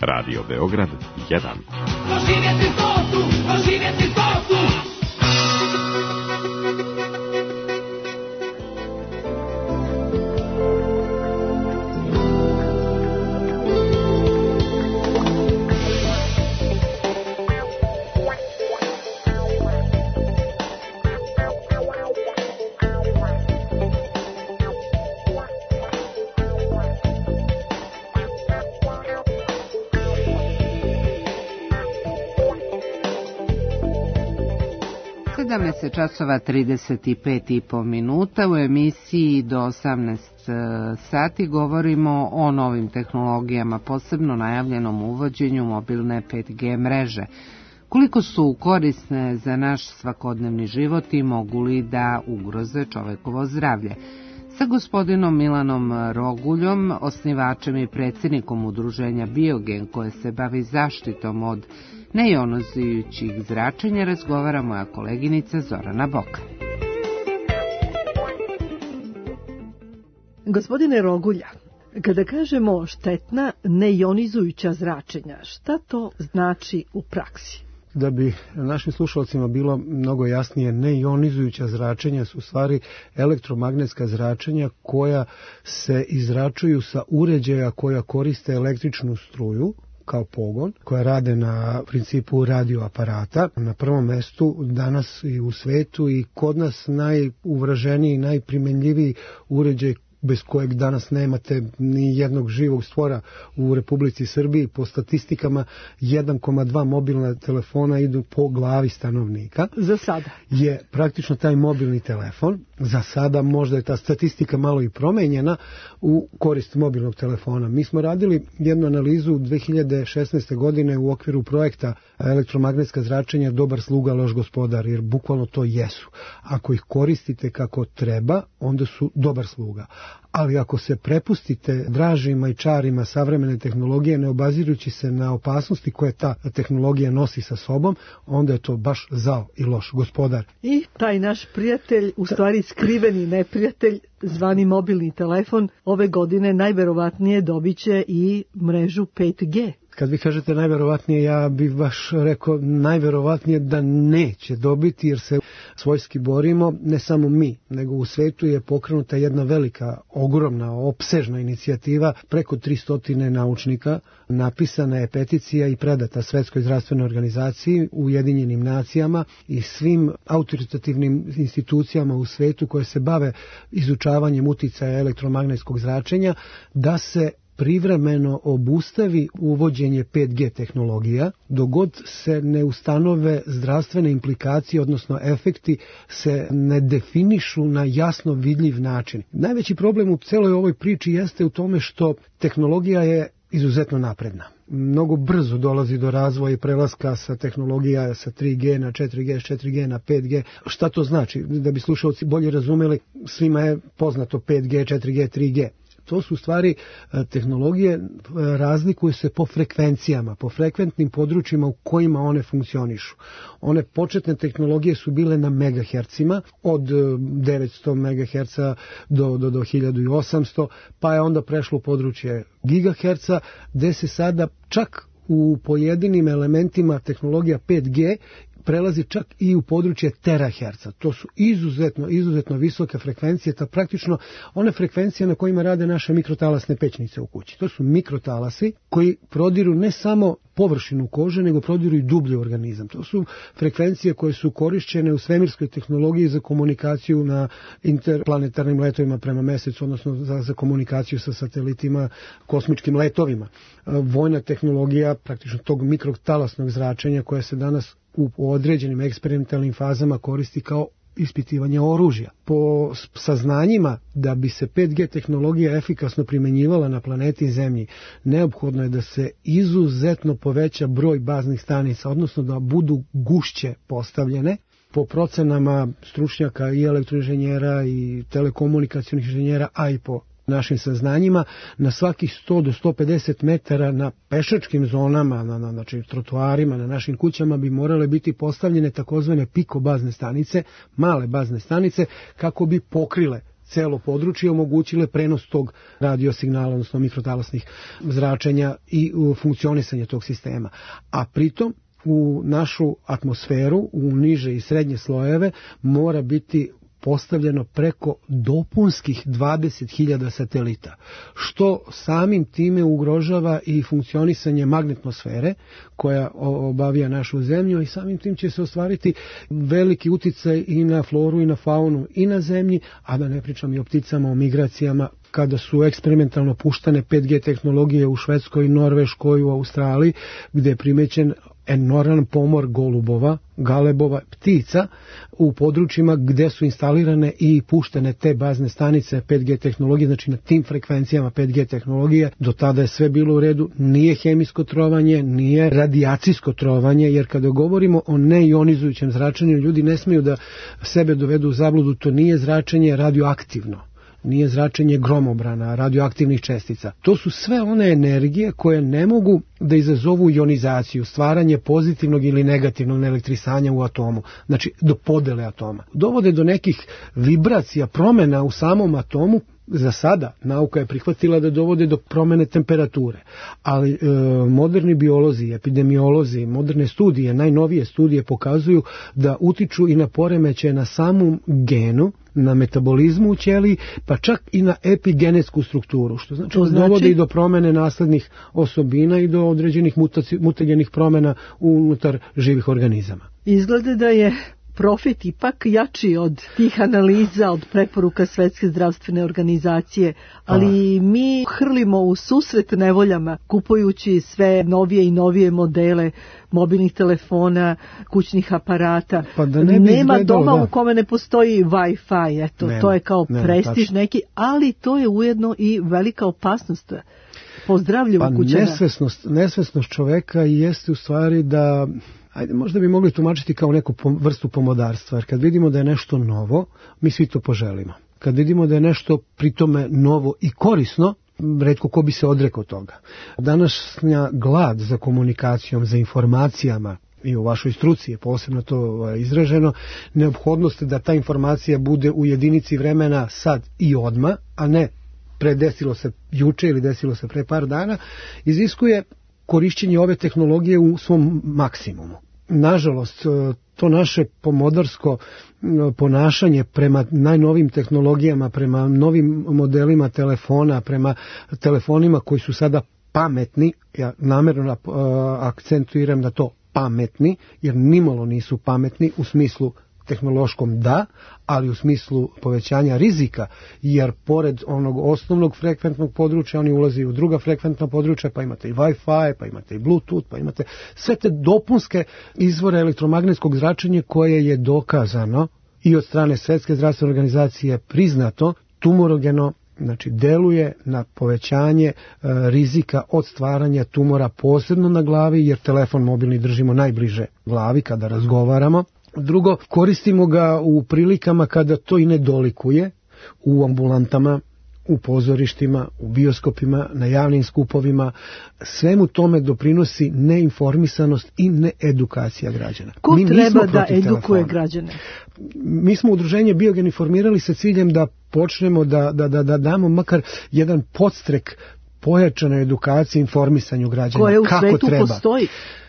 Radio Beograd jedan. Doživjeti stotu, doživjeti stotu. sedamnaest časova trideset pet i po minuta. U emisiji do osamnaest sati govorimo o novim tehnologijama, posebno najavljenom uvođenju mobilne pet G mreže. Koliko su korisne za naš svakodnevni život i mogu li da ugroze čovekovo zdravlje? Sa gospodinom Milanom Roguljom, osnivačem i predsjednikom udruženja Biogen koje se bavi zaštitom od neionizirajućih zračenja, razgovara moja koleginica Zorana Boka. Gospodine Rogulja, kada kažemo štetna neionizujuća zračenja, šta to znači u praksi? Da bi našim slušalcima bilo mnogo jasnije, neionizujuća zračenja su u stvari elektromagnetska zračenja koja se izračuju sa uređaja koja koriste električnu struju kao pogon, koja rade na principu radioaparata. Na prvom mestu danas i u svetu i kod nas najuvraženiji, najprimenljiviji uređaj bez kojeg danas nemate ni jednog živog stvora u Republici Srbiji. Po statistikama jedan zarez dva mobilna telefona idu po glavi stanovnika. Za sada je praktično taj mobilni telefon. Za sada možda je ta statistika malo i promenjena u korist mobilnog telefona. Mi smo radili jednu analizu dve hiljade šesnaeste. godine u okviru projekta elektromagnetska zračenja dobar sluga, loš gospodar, jer bukvalno to jesu. Ako ih koristite kako treba, onda su dobar sluga. Ali ako se prepustite dražima i čarima savremene tehnologije, ne obazirujući se na opasnosti koje ta tehnologija nosi sa sobom, onda je to baš zao i loš gospodar. I taj naš prijatelj, u stvari skriveni neprijatelj, zvani mobilni telefon, ove godine najverovatnije dobit će i mrežu pet G. Kad vi kažete najverovatnije, ja bih baš rekao najverovatnije da neće dobiti, jer se svojski borimo, ne samo mi, nego u svetu je pokrenuta jedna velika, ogromna, opsežna inicijativa, preko tristo naučnika, napisana je peticija i predata Svetskoj zdravstvenoj organizaciji, Ujedinjenim nacijama i svim autoritativnim institucijama u svetu koje se bave izučavanjem uticaja elektromagnetskog zračenja, da se privremeno obustavi uvođenje pet G tehnologija, dok god se ne ustanove zdravstvene implikacije, odnosno efekti se ne definišu na jasno vidljiv način. Najveći problem u celoj ovoj priči jeste u tome što tehnologija je izuzetno napredna. Mnogo brzo dolazi do razvoja i prelaska sa tehnologija sa tri G na četiri G, s četiri G na pet G. Šta to znači? Da bi slušalci bolje razumeli, svima je poznato pet G, četiri G, tri G. To su stvari tehnologije, razlikuju se po frekvencijama, po frekventnim područjima u kojima one funkcionišu. One početne tehnologije su bile na megahercima, od devetsto megaherca do, do, do hiljadu osamsto, pa je onda prešlo u područje gigaherca, gde se sada čak u pojedinim elementima tehnologija pet G prelazi čak i u područje teraherca. To su izuzetno, izuzetno visoke frekvencije, ta praktično one frekvencije na kojima rade naše mikrotalasne pećnice u kući. To su mikrotalasi koji prodiru ne samo površinu kože, nego prodiru i dublje organizam. To su frekvencije koje su korišćene u svemirskoj tehnologiji za komunikaciju na interplanetarnim letovima prema mesecu, odnosno za, za komunikaciju sa satelitima, kosmičkim letovima. Vojna tehnologija praktično tog mikrotalasnog zračenja koja se danas u određenim eksperimentalnim fazama koristi kao ispitivanje oružja. Po saznanjima da bi se pet G tehnologija efikasno primjenjivala na planeti Zemlji, neophodno je da se izuzetno poveća broj baznih stanica, odnosno da budu gušće postavljene. Po procenama stručnjaka i elektroinženjera i telekomunikacionih inženjera, a i po našim saznanjima, na svakih sto do sto pedeset metara na pešačkim zonama, na, na, znači trotoarima, na našim kućama bi morale biti postavljene takozvane piko bazne stanice, male bazne stanice, kako bi pokrile celo područje, omogućile prenos tog radiosignala, odnosno mikrotalasnih zračenja i funkcionisanje tog sistema. A pritom u našu atmosferu, u niže i srednje slojeve, mora biti postavljeno preko dopunskih dvadeset hiljada satelita, što samim time ugrožava i funkcionisanje magnetnosfere koja obavija našu zemlju i samim tim će se ostvariti veliki uticaj i na floru i na faunu i na zemlji, a da ne pričam i o pticama, o migracijama, kada su eksperimentalno puštane pet G tehnologije u Švedskoj, Norveškoj, u Australiji, gde je primećen enorman pomor golubova, galebova, ptica u područjima gde su instalirane i puštene te bazne stanice pet G tehnologije, znači na tim frekvencijama pet G tehnologije. Do tada je sve bilo u redu, nije hemijsko trovanje, nije radijacijsko trovanje, jer kada govorimo o neionizujućem zračenju, ljudi ne smiju da sebe dovedu u zabludu, to nije zračenje radioaktivno. Nije zračenje gromobrana, radioaktivnih čestica. To su sve one energije koje ne mogu da izazovu ionizaciju, stvaranje pozitivnog ili negativnog elektrisanja u atomu, znači do podele atoma. Dovode do nekih vibracija, promjena u samom atomu. Za sada nauka je prihvatila da dovode do promjene temperature, ali e, moderni biolozi, epidemiolozi, moderne studije, najnovije studije pokazuju da utiču i na poremećaje na samom genu, na metabolizmu u ćeliji, pa čak i na epigenetsku strukturu, što znači da znači... dovode i do promjene naslednih osobina i do određenih mutaci, mutagenih promjena unutar živih organizama. Izgleda da je profit ipak jači od tih analiza, od preporuka Svetske zdravstvene organizacije, ali a. mi hrlimo u susret nevoljama kupujući sve novije i novije modele mobilnih telefona, kućnih aparata. Pa da ne Nema izgledalo, doma da. u kome ne postoji Wi-Fi, eto, nema, to je kao nema, prestiž tačno. neki, ali to je ujedno i velika opasnost po zdravlju pa kućana. Nesvesnost, nesvesnost čoveka jeste u stvari da, ajde, možda bi mogli tumačiti kao neku vrstu pomodarstva, jer kad vidimo da je nešto novo, mi svi to poželimo. Kad vidimo da je nešto pritome novo i korisno, retko ko bi se odrekao toga. Današnja glad za komunikacijom, za informacijama, i u vašoj struci je posebno to izraženo, neophodnost da ta informacija bude u jedinici vremena sad i odma, a ne predesilo se juče ili desilo se pre par dana, iziskuje korišćenje ove tehnologije u svom maksimumu. Nažalost, to naše pomodarsko ponašanje prema najnovim tehnologijama, prema novim modelima telefona, prema telefonima koji su sada pametni, ja namjerno akcentuiram na to pametni, jer nimalo nisu pametni u smislu tehnološkom da, ali u smislu povećanja rizika, jer pored onog osnovnog frekventnog područja oni ulazi u druga frekventna područja, pa imate i Wi-Fi, pa imate i Bluetooth, pa imate sve te dopunske izvore elektromagnetskog zračenja koje je dokazano i od strane Svetske zdravstvene organizacije priznato tumorogeno, znači deluje na povećanje e, rizika od stvaranja tumora posebno na glavi, jer telefon mobilni držimo najbliže glavi kada razgovaramo. Drugo, koristimo ga u prilikama kada to i ne dolikuje, u ambulantama, u pozorištima, u bioskopima, na javnim skupovima. Svemu tome doprinosi neinformisanost i needukacija građana. Ko Mi treba da edukuje telefona. građane? Mi smo udruženje Biogen informirali sa ciljem da počnemo da, da, da, da damo makar jedan podstrek pojačanoj edukaciji, informisanju građana. Koje u kako svetu treba. postoji.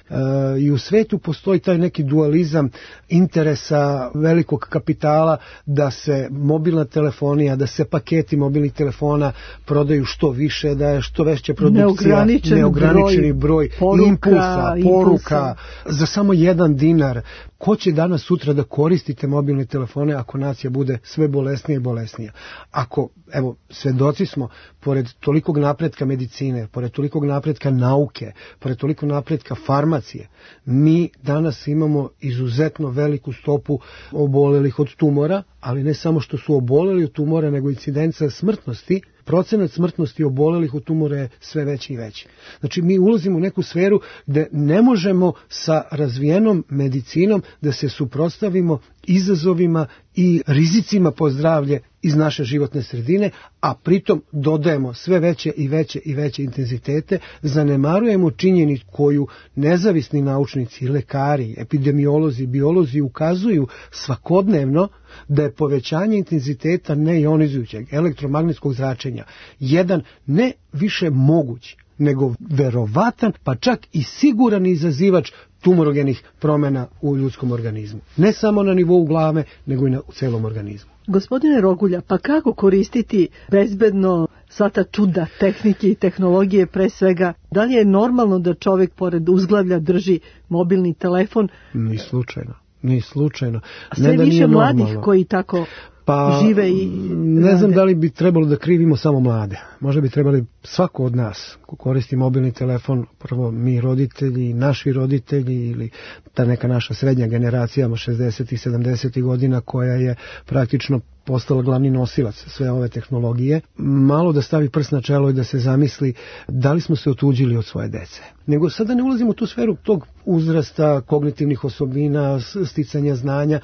Uh, i u svetu postoji taj neki dualizam interesa velikog kapitala da se mobilna telefonija, da se paketi mobilnih telefona prodaju što više, da je što veća produkcija, neograničen neograničeni broj, broj poruka, impulsa, impulsa, poruka za samo jedan dinar. Ko će danas sutra da koristite mobilne telefone ako nacija bude sve bolesnija i bolesnija? Ako, evo, svedoci smo, pored tolikog napretka medicine, pored tolikog napretka nauke, pored tolikog napretka farmacije, mi danas imamo izuzetno veliku stopu obolelih od tumora, ali ne samo što su oboleli od tumora, nego incidenca smrtnosti, procenat smrtnosti obolelih od tumora je sve veći i veći. Znači mi ulazimo u neku sferu gde ne možemo sa razvijenom medicinom da se suprotstavimo izazovima i rizicima po zdravlje iz naše životne sredine, a pritom dodajemo sve veće i veće i veće intenzitete, zanemarujemo činjenicu koju nezavisni naučnici, lekari, epidemiolozi, biolozi ukazuju svakodnevno, da je povećanje intenziteta neionizujućeg elektromagnetskog zračenja jedan ne više moguć, nego verovatan, pa čak i siguran izazivač tumorogenih promjena u ljudskom organizmu. Ne samo na nivou glave, nego i na celom organizmu. Gospodine Rogulja, pa kako koristiti bezbedno sva ta čuda tehnike i tehnologije, pre svega? Da li je normalno da čovjek pored uzglavlja drži mobilni telefon? Ni slučajno. Ni slučajno. A sve ne više mladih normalno. Koji tako pa, žive i ne rade. Znam da li bi trebalo da krivimo samo mlade. Možda bi trebali svako od nas ko koristi mobilni telefon, prvo mi roditelji, naši roditelji ili ta neka naša srednja generacija šezdesetih i sedamdesetih godina koja je praktično postala glavni nosilac sve ove tehnologije, malo da stavi prst na čelo i da se zamisli da li smo se otuđili od svoje dece. Nego sada ne ulazimo u tu sferu tog uzrasta, kognitivnih osobina, sticanja znanja,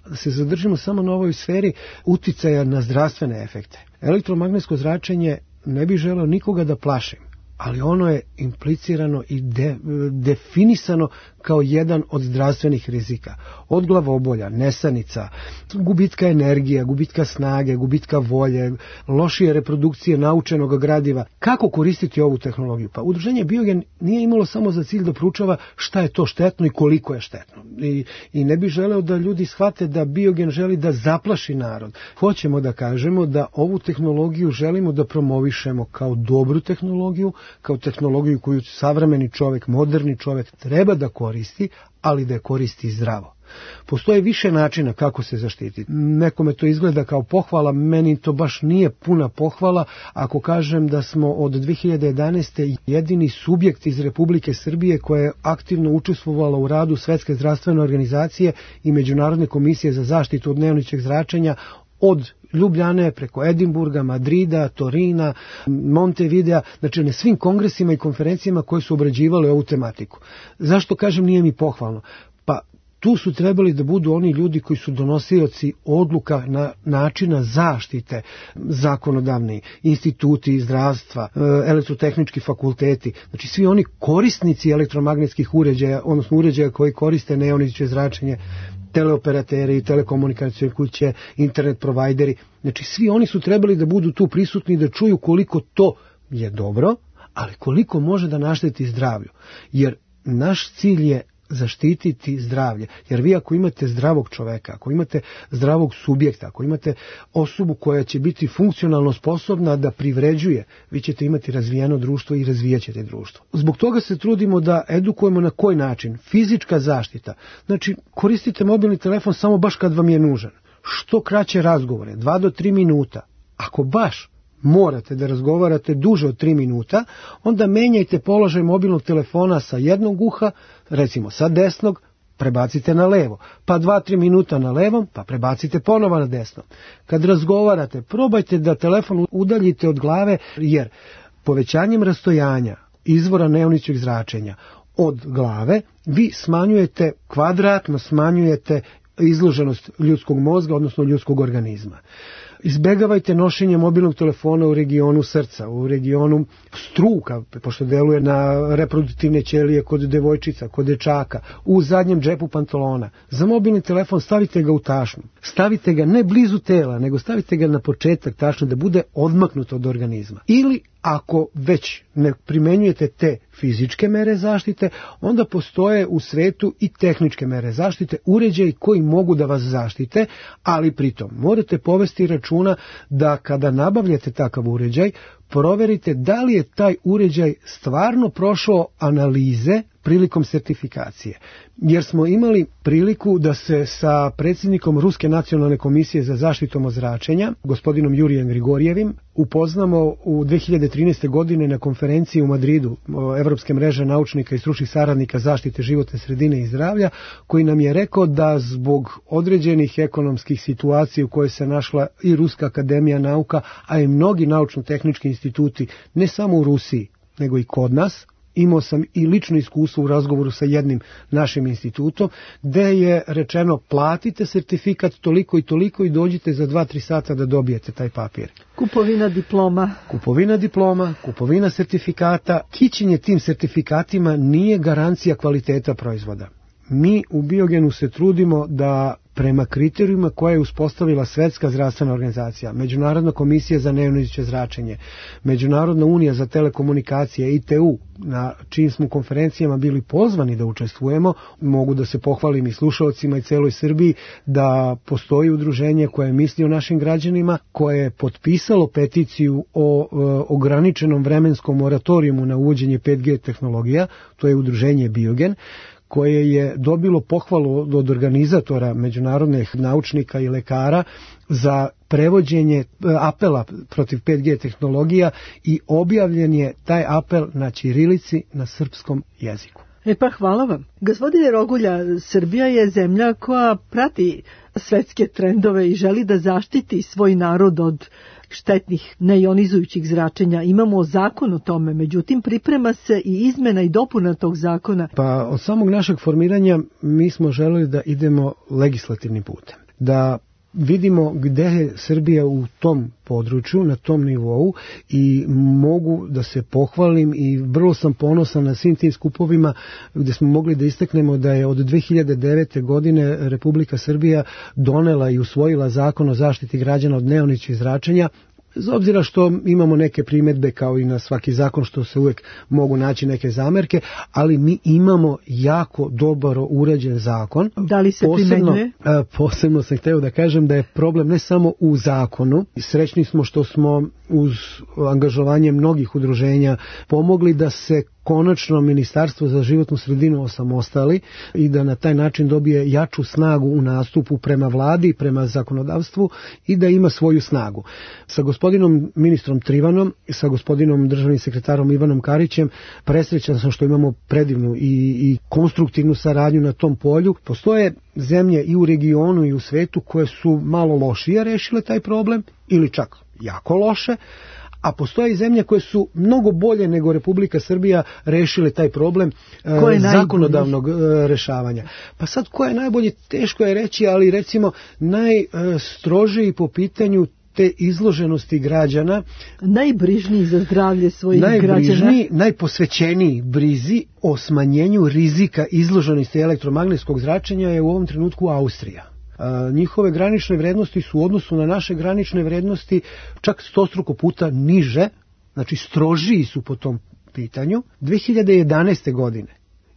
da se zadržimo samo na ovoj sferi uticaja na zdravstvene efekte. Elektromagnetsko zračenje ne bi želeo nikoga da plašim, ali ono je implicirano i de, definisano kao jedan od zdravstvenih rizika. Od glavobolja, nesanica, gubitka energije, gubitka snage, gubitka volje, lošije reprodukcije naučenog gradiva. Kako koristiti ovu tehnologiju? Pa Udruženje Biogen nije imalo samo za cilj da proučava šta je to štetno i koliko je štetno. I, i ne bi želeo da ljudi shvate da Biogen želi da zaplaši narod. Hoćemo da kažemo da ovu tehnologiju želimo da promovišemo kao dobru tehnologiju, kao tehnologiju koju savremeni čovjek, moderni čovjek treba da koristi, ali da je koristi zdravo. Postoje više načina kako se zaštititi. Nekome to izgleda kao pohvala, meni to baš nije puna pohvala ako kažem da smo od dve hiljade jedanaeste. jedini subjekt iz Republike Srbije koja je aktivno učestvovala u radu Svetske zdravstvene organizacije i Međunarodne komisije za zaštitu od neionizujućeg zračenja od Ljubljane preko Edinburga, Madrida, Torina, Montevidea, znači na svim kongresima i konferencijama koje su obrađivale ovu tematiku. Zašto kažem nije mi pohvalno? Pa tu su trebali da budu oni ljudi koji su donosioci odluka na načina zaštite, zakonodavni instituti zdravstva, elektrotehnički fakulteti, znači svi oni korisnici elektromagnetskih uređaja, odnosno uređaja koji koriste neionizujuće zračenje, teleoperateri, telekomunikacijske kuće, internet provajderi, znači svi oni su trebali da budu tu prisutni da čuju koliko to je dobro, ali koliko može da našteti zdravlju. Jer naš cilj je zaštititi zdravlje. Jer vi ako imate zdravog čoveka, ako imate zdravog subjekta, ako imate osobu koja će biti funkcionalno sposobna da privređuje, vi ćete imati razvijeno društvo i razvijat ćete društvo. Zbog toga se trudimo da edukujemo na koji način. Fizička zaštita. Znači, koristite mobilni telefon samo baš kad vam je nužan. Što kraće razgovore, dva do tri minuta. Ako baš morate da razgovarate duže od tri minuta, onda menjajte položaj mobilnog telefona sa jednog uha, recimo sa desnog, prebacite na levo, pa dva tri minuta na levom, pa prebacite ponovo na desno. Kad razgovarate, probajte da telefon udaljite od glave, jer povećanjem rastojanja izvora neionizujućeg zračenja od glave, vi smanjujete, kvadratno smanjujete izloženost ljudskog mozga, odnosno ljudskog organizma. Izbegavajte nošenje mobilnog telefona u regionu srca, u regionu struka, pošto deluje na reproduktivne ćelije kod devojčica, kod dečaka, u zadnjem džepu pantalona. Za mobilni telefon stavite ga u tašnu. Stavite ga ne blizu tela, nego stavite ga na početak tašne da bude odmaknut od organizma. Ili ako već ne primenjujete te fizičke mere zaštite, onda postoje u svetu i tehničke mere zaštite, uređaji koji mogu da vas zaštite, ali pritom morate povesti računa da kada nabavljate takav uređaj, proverite da li je taj uređaj stvarno prošao analize prilikom sertifikacije. Jer smo imali priliku da se sa predsjednikom Ruske nacionalne komisije za zaštitu od zračenja, gospodinom Jurijem Grigorjevim, upoznamo u dve hiljade trinaeste. godine na konferenciji u Madridu Evropske mreže naučnika i stručnih saradnika zaštite životne sredine i zdravlja, koji nam je rekao da zbog određenih ekonomskih situacija u kojoj se našla i Ruska akademija nauka, a i mnogi naučno-tehnički instituti, ne samo u Rusiji, nego i kod nas, imao sam i lično iskustvo u razgovoru sa jednim našim institutom, gde je rečeno platite sertifikat toliko i toliko i dođite za dva tri sata da dobijete taj papir. Kupovina diploma. Kupovina diploma, kupovina sertifikata, kićenje tim sertifikatima nije garancija kvaliteta proizvoda. Mi u Biogenu se trudimo da prema kriterijima koje je uspostavila Svetska zdravstvena organizacija, Međunarodna komisija za neionizirajuće zračenje, Međunarodna unija za telekomunikacije, I T U, na čijim smo konferencijama bili pozvani da učestvujemo. Mogu da se pohvalim i slušalcima i celoj Srbiji da postoji udruženje koje misli o našim građanima, koje je potpisalo peticiju o e, ograničenom vremenskom moratorijumu na uvođenje pet G tehnologija, to je udruženje Biogen, koje je dobilo pohvalu od organizatora, međunarodnih naučnika i lekara za prevođenje apela protiv pet G tehnologija i objavljen je taj apel na ćirilici, na srpskom jeziku. E pa hvala vam. Gospodine Rogulja, Srbija je zemlja koja prati svetske trendove i želi da zaštiti svoj narod od štetnih neionizujućih zračenja. Imamo zakon o tome, međutim priprema se i izmena i dopuna tog zakona. Pa od samog našeg formiranja mi smo želeli da idemo legislativnim putem, da vidimo gde je Srbija u tom području, na tom nivou, i mogu da se pohvalim i vrlo sam ponosan na svim tim skupovima gde smo mogli da istaknemo da je od dve hiljade devete. godine Republika Srbija donela i usvojila zakon o zaštiti građana od neionizirajućih zračenja. Bez obzira što imamo neke primjedbe kao i na svaki zakon, što se uvek mogu naći neke zamerke, ali mi imamo jako dobro uređen zakon. Da li se posebno, primenjuje? Posebno sam hteo da kažem da je problem ne samo u zakonu. Srećni smo što smo uz angažovanje mnogih udruženja pomogli da se konačno Ministarstvo za životnu sredinu osamostali i da na taj način dobije jaču snagu u nastupu prema vladi, prema zakonodavstvu i da ima svoju snagu. Sa gospodinom ministrom Trivanom i sa gospodinom državnim sekretarom Ivanom Karićem presrećan sam što imamo predivnu i, i konstruktivnu saradnju na tom polju. Postoje zemlje i u regionu i u svetu koje su malo lošije rešile taj problem ili čak jako loše, a postoje i zemlje koje su mnogo bolje nego Republika Srbija rešile taj problem e, zakonodavnog e, rešavanja. Pa sad ko je najbolji, teško je reći, ali recimo najstrožiji po pitanju te izloženosti građana, najbrižniji za zdravlje svojih najbrižniji, građana, najposvećeniji brizi o smanjenju rizika izloženosti elektromagnetskog zračenja je u ovom trenutku Austrija. Njihove granične vrednosti su u odnosu na naše granične vrednosti čak stostruko puta niže, znači strožiji su po tom pitanju. dve hiljade jedanaeste. godine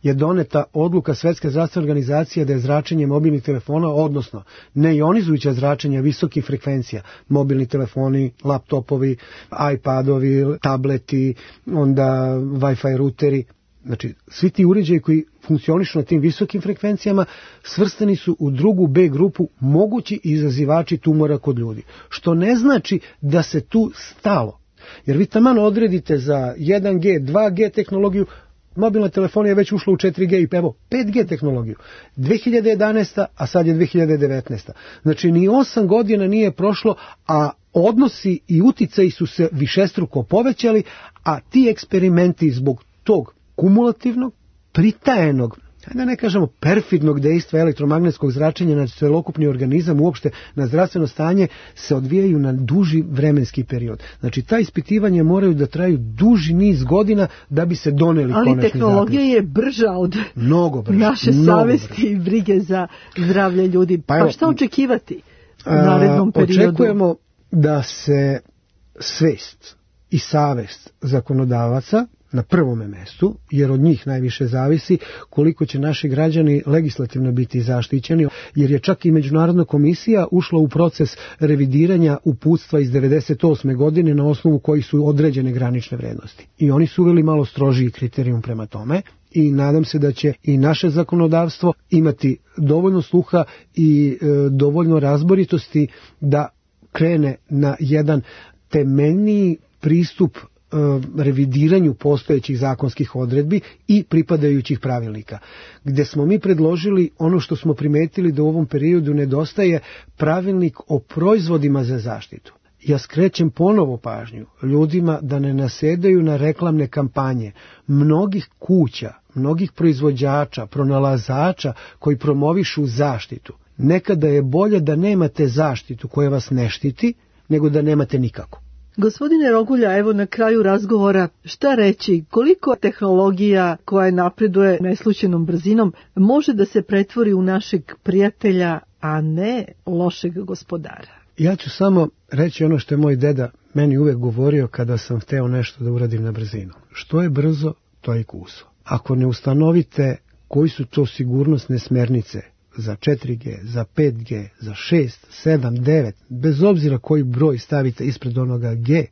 je doneta odluka Svetske zdravstvene organizacije da je zračenje mobilnih telefona, odnosno neionizujuća zračenja visokih frekvencija, mobilni telefoni, laptopovi, iPadovi, tableti, onda Wi-Fi ruteri, znači svi ti uređaji koji funkcionišu na tim visokim frekvencijama svrstani su u drugu B grupu mogući izazivači tumora kod ljudi. Što ne znači da se tu stalo. Jer vi taman odredite za jedan G, dva G tehnologiju, mobilna telefonija je već ušla u četiri G i evo pet G tehnologiju. dve hiljade jedanaesta. a sad je dve hiljade devetnaesta. Znači ni osam godina nije prošlo, a odnosi i uticaji su se višestruko povećali, a ti eksperimenti zbog tog kumulativnog, pritajenog, da ne kažemo perfidnog dejstva elektromagnetskog zračenja na celokupni organizam, uopšte na zdravstveno stanje, se odvijaju na duži vremenski period. Znači, ta ispitivanja moraju da traju duži niz godina da bi se doneli ali konačni zaključak. Ali tehnologija je brža od mnogo brža, naše mnogo savesti brža. I brige za zdravlje ljudi. Pa, pa pa šta očekivati u narednom periodu? Očekujemo da se svest i savest zakonodavaca na prvome mestu, jer od njih najviše zavisi koliko će naši građani legislativno biti zaštićeni, jer je čak i Međunarodna komisija ušla u proces revidiranja uputstva iz devedeset osme. godine na osnovu kojih su određene granične vrednosti. I oni su uveli malo strožiji kriterijum prema tome i nadam se da će i naše zakonodavstvo imati dovoljno sluha i e, dovoljno razboritosti da krene na jedan temeljniji pristup revidiranju postojećih zakonskih odredbi i pripadajućih pravilnika, gde smo mi predložili ono što smo primetili da u ovom periodu nedostaje pravilnik o proizvodima za zaštitu. Ja skrećem ponovo pažnju ljudima da ne nasedaju na reklamne kampanje mnogih kuća, mnogih proizvođača, pronalazača koji promovišu zaštitu. Nekada je bolje da nemate zaštitu koja vas ne štiti, nego da nemate nikako. Gospodine Rogulja, evo na kraju razgovora, šta reći, koliko tehnologija koja napreduje neslučajnom brzinom može da se pretvori u našeg prijatelja, a ne lošeg gospodara. Ja ću samo reći ono što je moj deda meni uvek govorio kada sam hteo nešto da uradim na brzinu. Što je brzo, to je kuso. Ako ne ustanovite koji su to sigurnosne smernice za četiri G, za pet G, za šest, sedam, devet, bez obzira koji broj stavite ispred onoga G,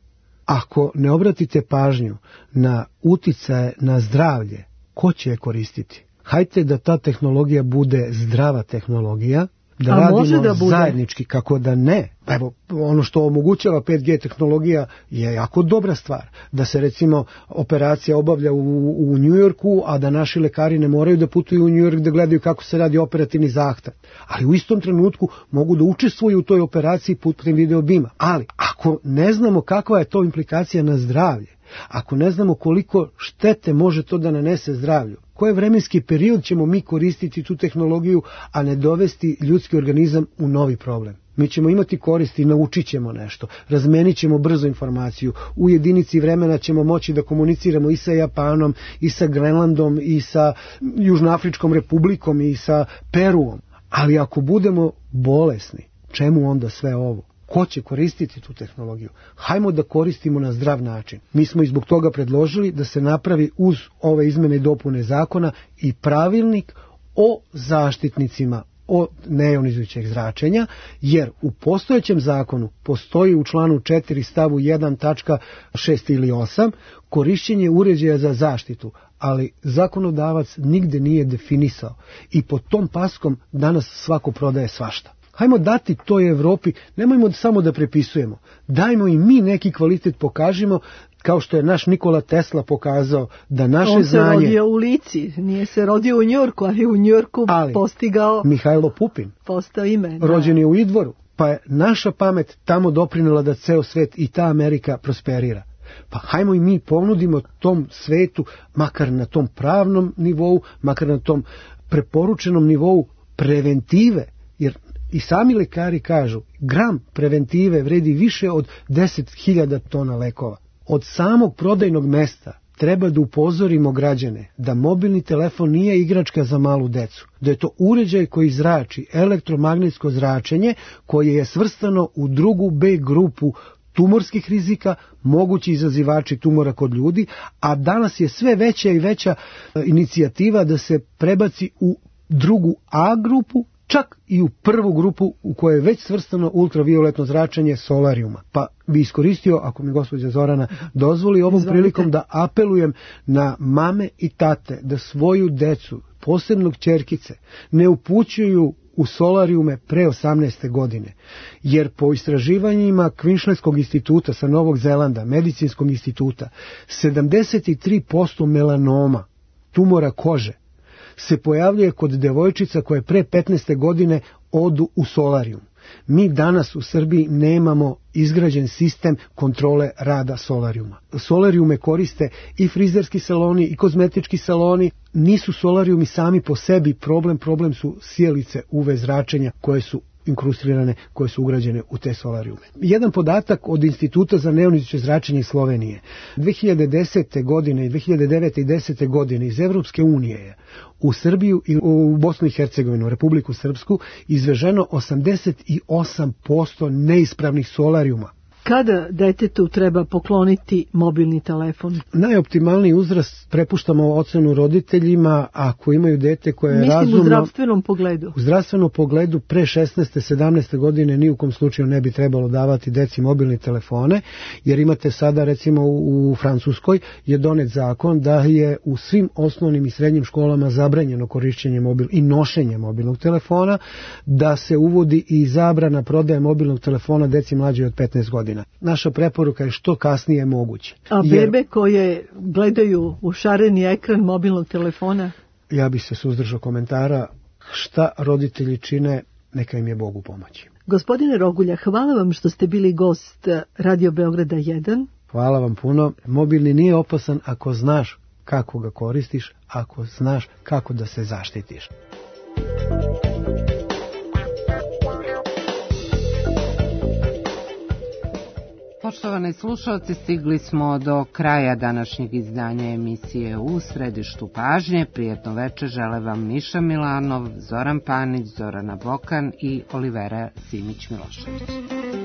ako ne obratite pažnju na uticaje na zdravlje, ko će je koristiti? Hajte da ta tehnologija bude zdrava tehnologija, da A radimo da zajednički, kako da ne. Evo, ono što omogućava pet G tehnologija je jako dobra stvar. Da se recimo operacija obavlja u, u Njujorku, a da naši lekari ne moraju da putuju u Njujork da gledaju kako se radi operativni zahvat. Ali u istom trenutku mogu da učestvuju u toj operaciji putem videobima. Ali ako ne znamo kakva je to implikacija na zdravlje, ako ne znamo koliko štete može to da nanese zdravlju, koji vremenski period ćemo mi koristiti tu tehnologiju, a ne dovesti ljudski organizam u novi problem. Mi ćemo imati koristi, naučit ćemo nešto, razmenit ćemo brzo informaciju, u jedinici vremena ćemo moći da komuniciramo i sa Japanom, i sa Grenlandom, i sa Južnoafričkom republikom, i sa Peruom. Ali ako budemo bolesni, čemu onda sve ovo? Ko će koristiti tu tehnologiju? Hajmo da koristimo na zdrav način. Mi smo i zbog toga predložili da se napravi uz ove izmene i dopune zakona i pravilnik o zaštitnicima od nejonizujućeg zračenja, jer u postojećem zakonu postoji u članu četiri stavu jedan tačka šest ili osam korišćenje uređaja za zaštitu, ali zakonodavac nigde nije definisao i pod tom paskom danas svako prodaje svašta. Hajmo dati toj Evropi, nemojmo samo da prepisujemo, dajmo i mi neki kvalitet pokažimo, kao što je naš Nikola Tesla pokazao da naše On se znanje... rodio u Lici, nije se rodio u Njujorku, ali u Njujorku ali postigao... Mihajlo Pupin, postao ime. Da. Rođen je u Idvoru, pa je naša pamet tamo doprinela da ceo svet i ta Amerika prosperira. Pa hajmo i mi ponudimo tom svetu, makar na tom pravnom nivou, makar na tom preporučenom nivou preventive, jer i sami lekari kažu, gram preventive vredi više od deset hiljada tona lekova. Od samog prodajnog mesta treba da upozorimo građane da mobilni telefon nije igračka za malu decu, da je to uređaj koji zrači elektromagnetsko zračenje koje je svrstano u drugu B grupu tumorskih rizika, mogući izazivači tumora kod ljudi, a danas je sve veća i veća inicijativa da se prebaci u drugu A grupu, čak i u prvu grupu u kojoj je već svrstano ultravioletno zračenje solarijuma. Pa bi iskoristio, ako mi gospođa Zorana dozvoli, ovom Izvolite. prilikom da apelujem na mame i tate da svoju decu, posebno kćerkice, ne upućuju u solarijume pre osamnaeste godine, jer po istraživanjima Kvinšletskog instituta sa Novog Zelanda, medicinskog instituta, sedamdeset tri posto melanoma, tumora kože, se pojavljuje kod devojčica koje pre petnaeste godine odu u solarijum. Mi danas u Srbiji nemamo izgrađen sistem kontrole rada solarijuma. Solarijume koriste i frizerski saloni i kozmetički saloni. Nisu solarijumi sami po sebi problem, problem su sjelice U V zračenja koje su inkrustirane, koje su ugrađene u te solarijume. Jedan podatak od Instituta za nejonizujuće zračenje iz Slovenije. dve hiljade desete. godine i dve hiljade devete. i desete. godine iz Evropske unije je u Srbiju i u Bosnu i Hercegovinu, Republiku Srpsku, izveženo osamdeset osam posto neispravnih solarijuma. Kada detetu treba pokloniti mobilni telefon? Najoptimalniji uzrast prepuštamo ocenu roditeljima ako imaju dete koje je Mislim razumno... u zdravstvenom pogledu. U zdravstvenom pogledu pre šesnaeste sedamnaeste godine ni u kom slučaju ne bi trebalo davati deci mobilne telefone, jer imate sada recimo u Francuskoj je donet zakon da je u svim osnovnim i srednjim školama zabranjeno korišćenje mobil i nošenje mobilnog telefona, da se uvodi i zabrana prodaje mobilnog telefona deci mlađe od petnaest godina. Naša preporuka je što kasnije moguće. A bebe jer, koje gledaju u šareni ekran mobilnog telefona? Ja bih se suzdržao komentara. Šta roditelji čine, neka im je Bogu pomoći. Gospodine Rogulja, hvala vam što ste bili gost Radio Beograda jedan. Hvala vam puno. Mobilni nije opasan ako znaš kako ga koristiš, ako znaš kako da se zaštitiš. Poštovani Poštovani slušalci, stigli smo do kraja današnjeg izdanja emisije U središtu pažnje. Prijetno večer žele vam Miša Milanov, Zoran Panić, Zorana Bokan i Olivera Simić-Milošević.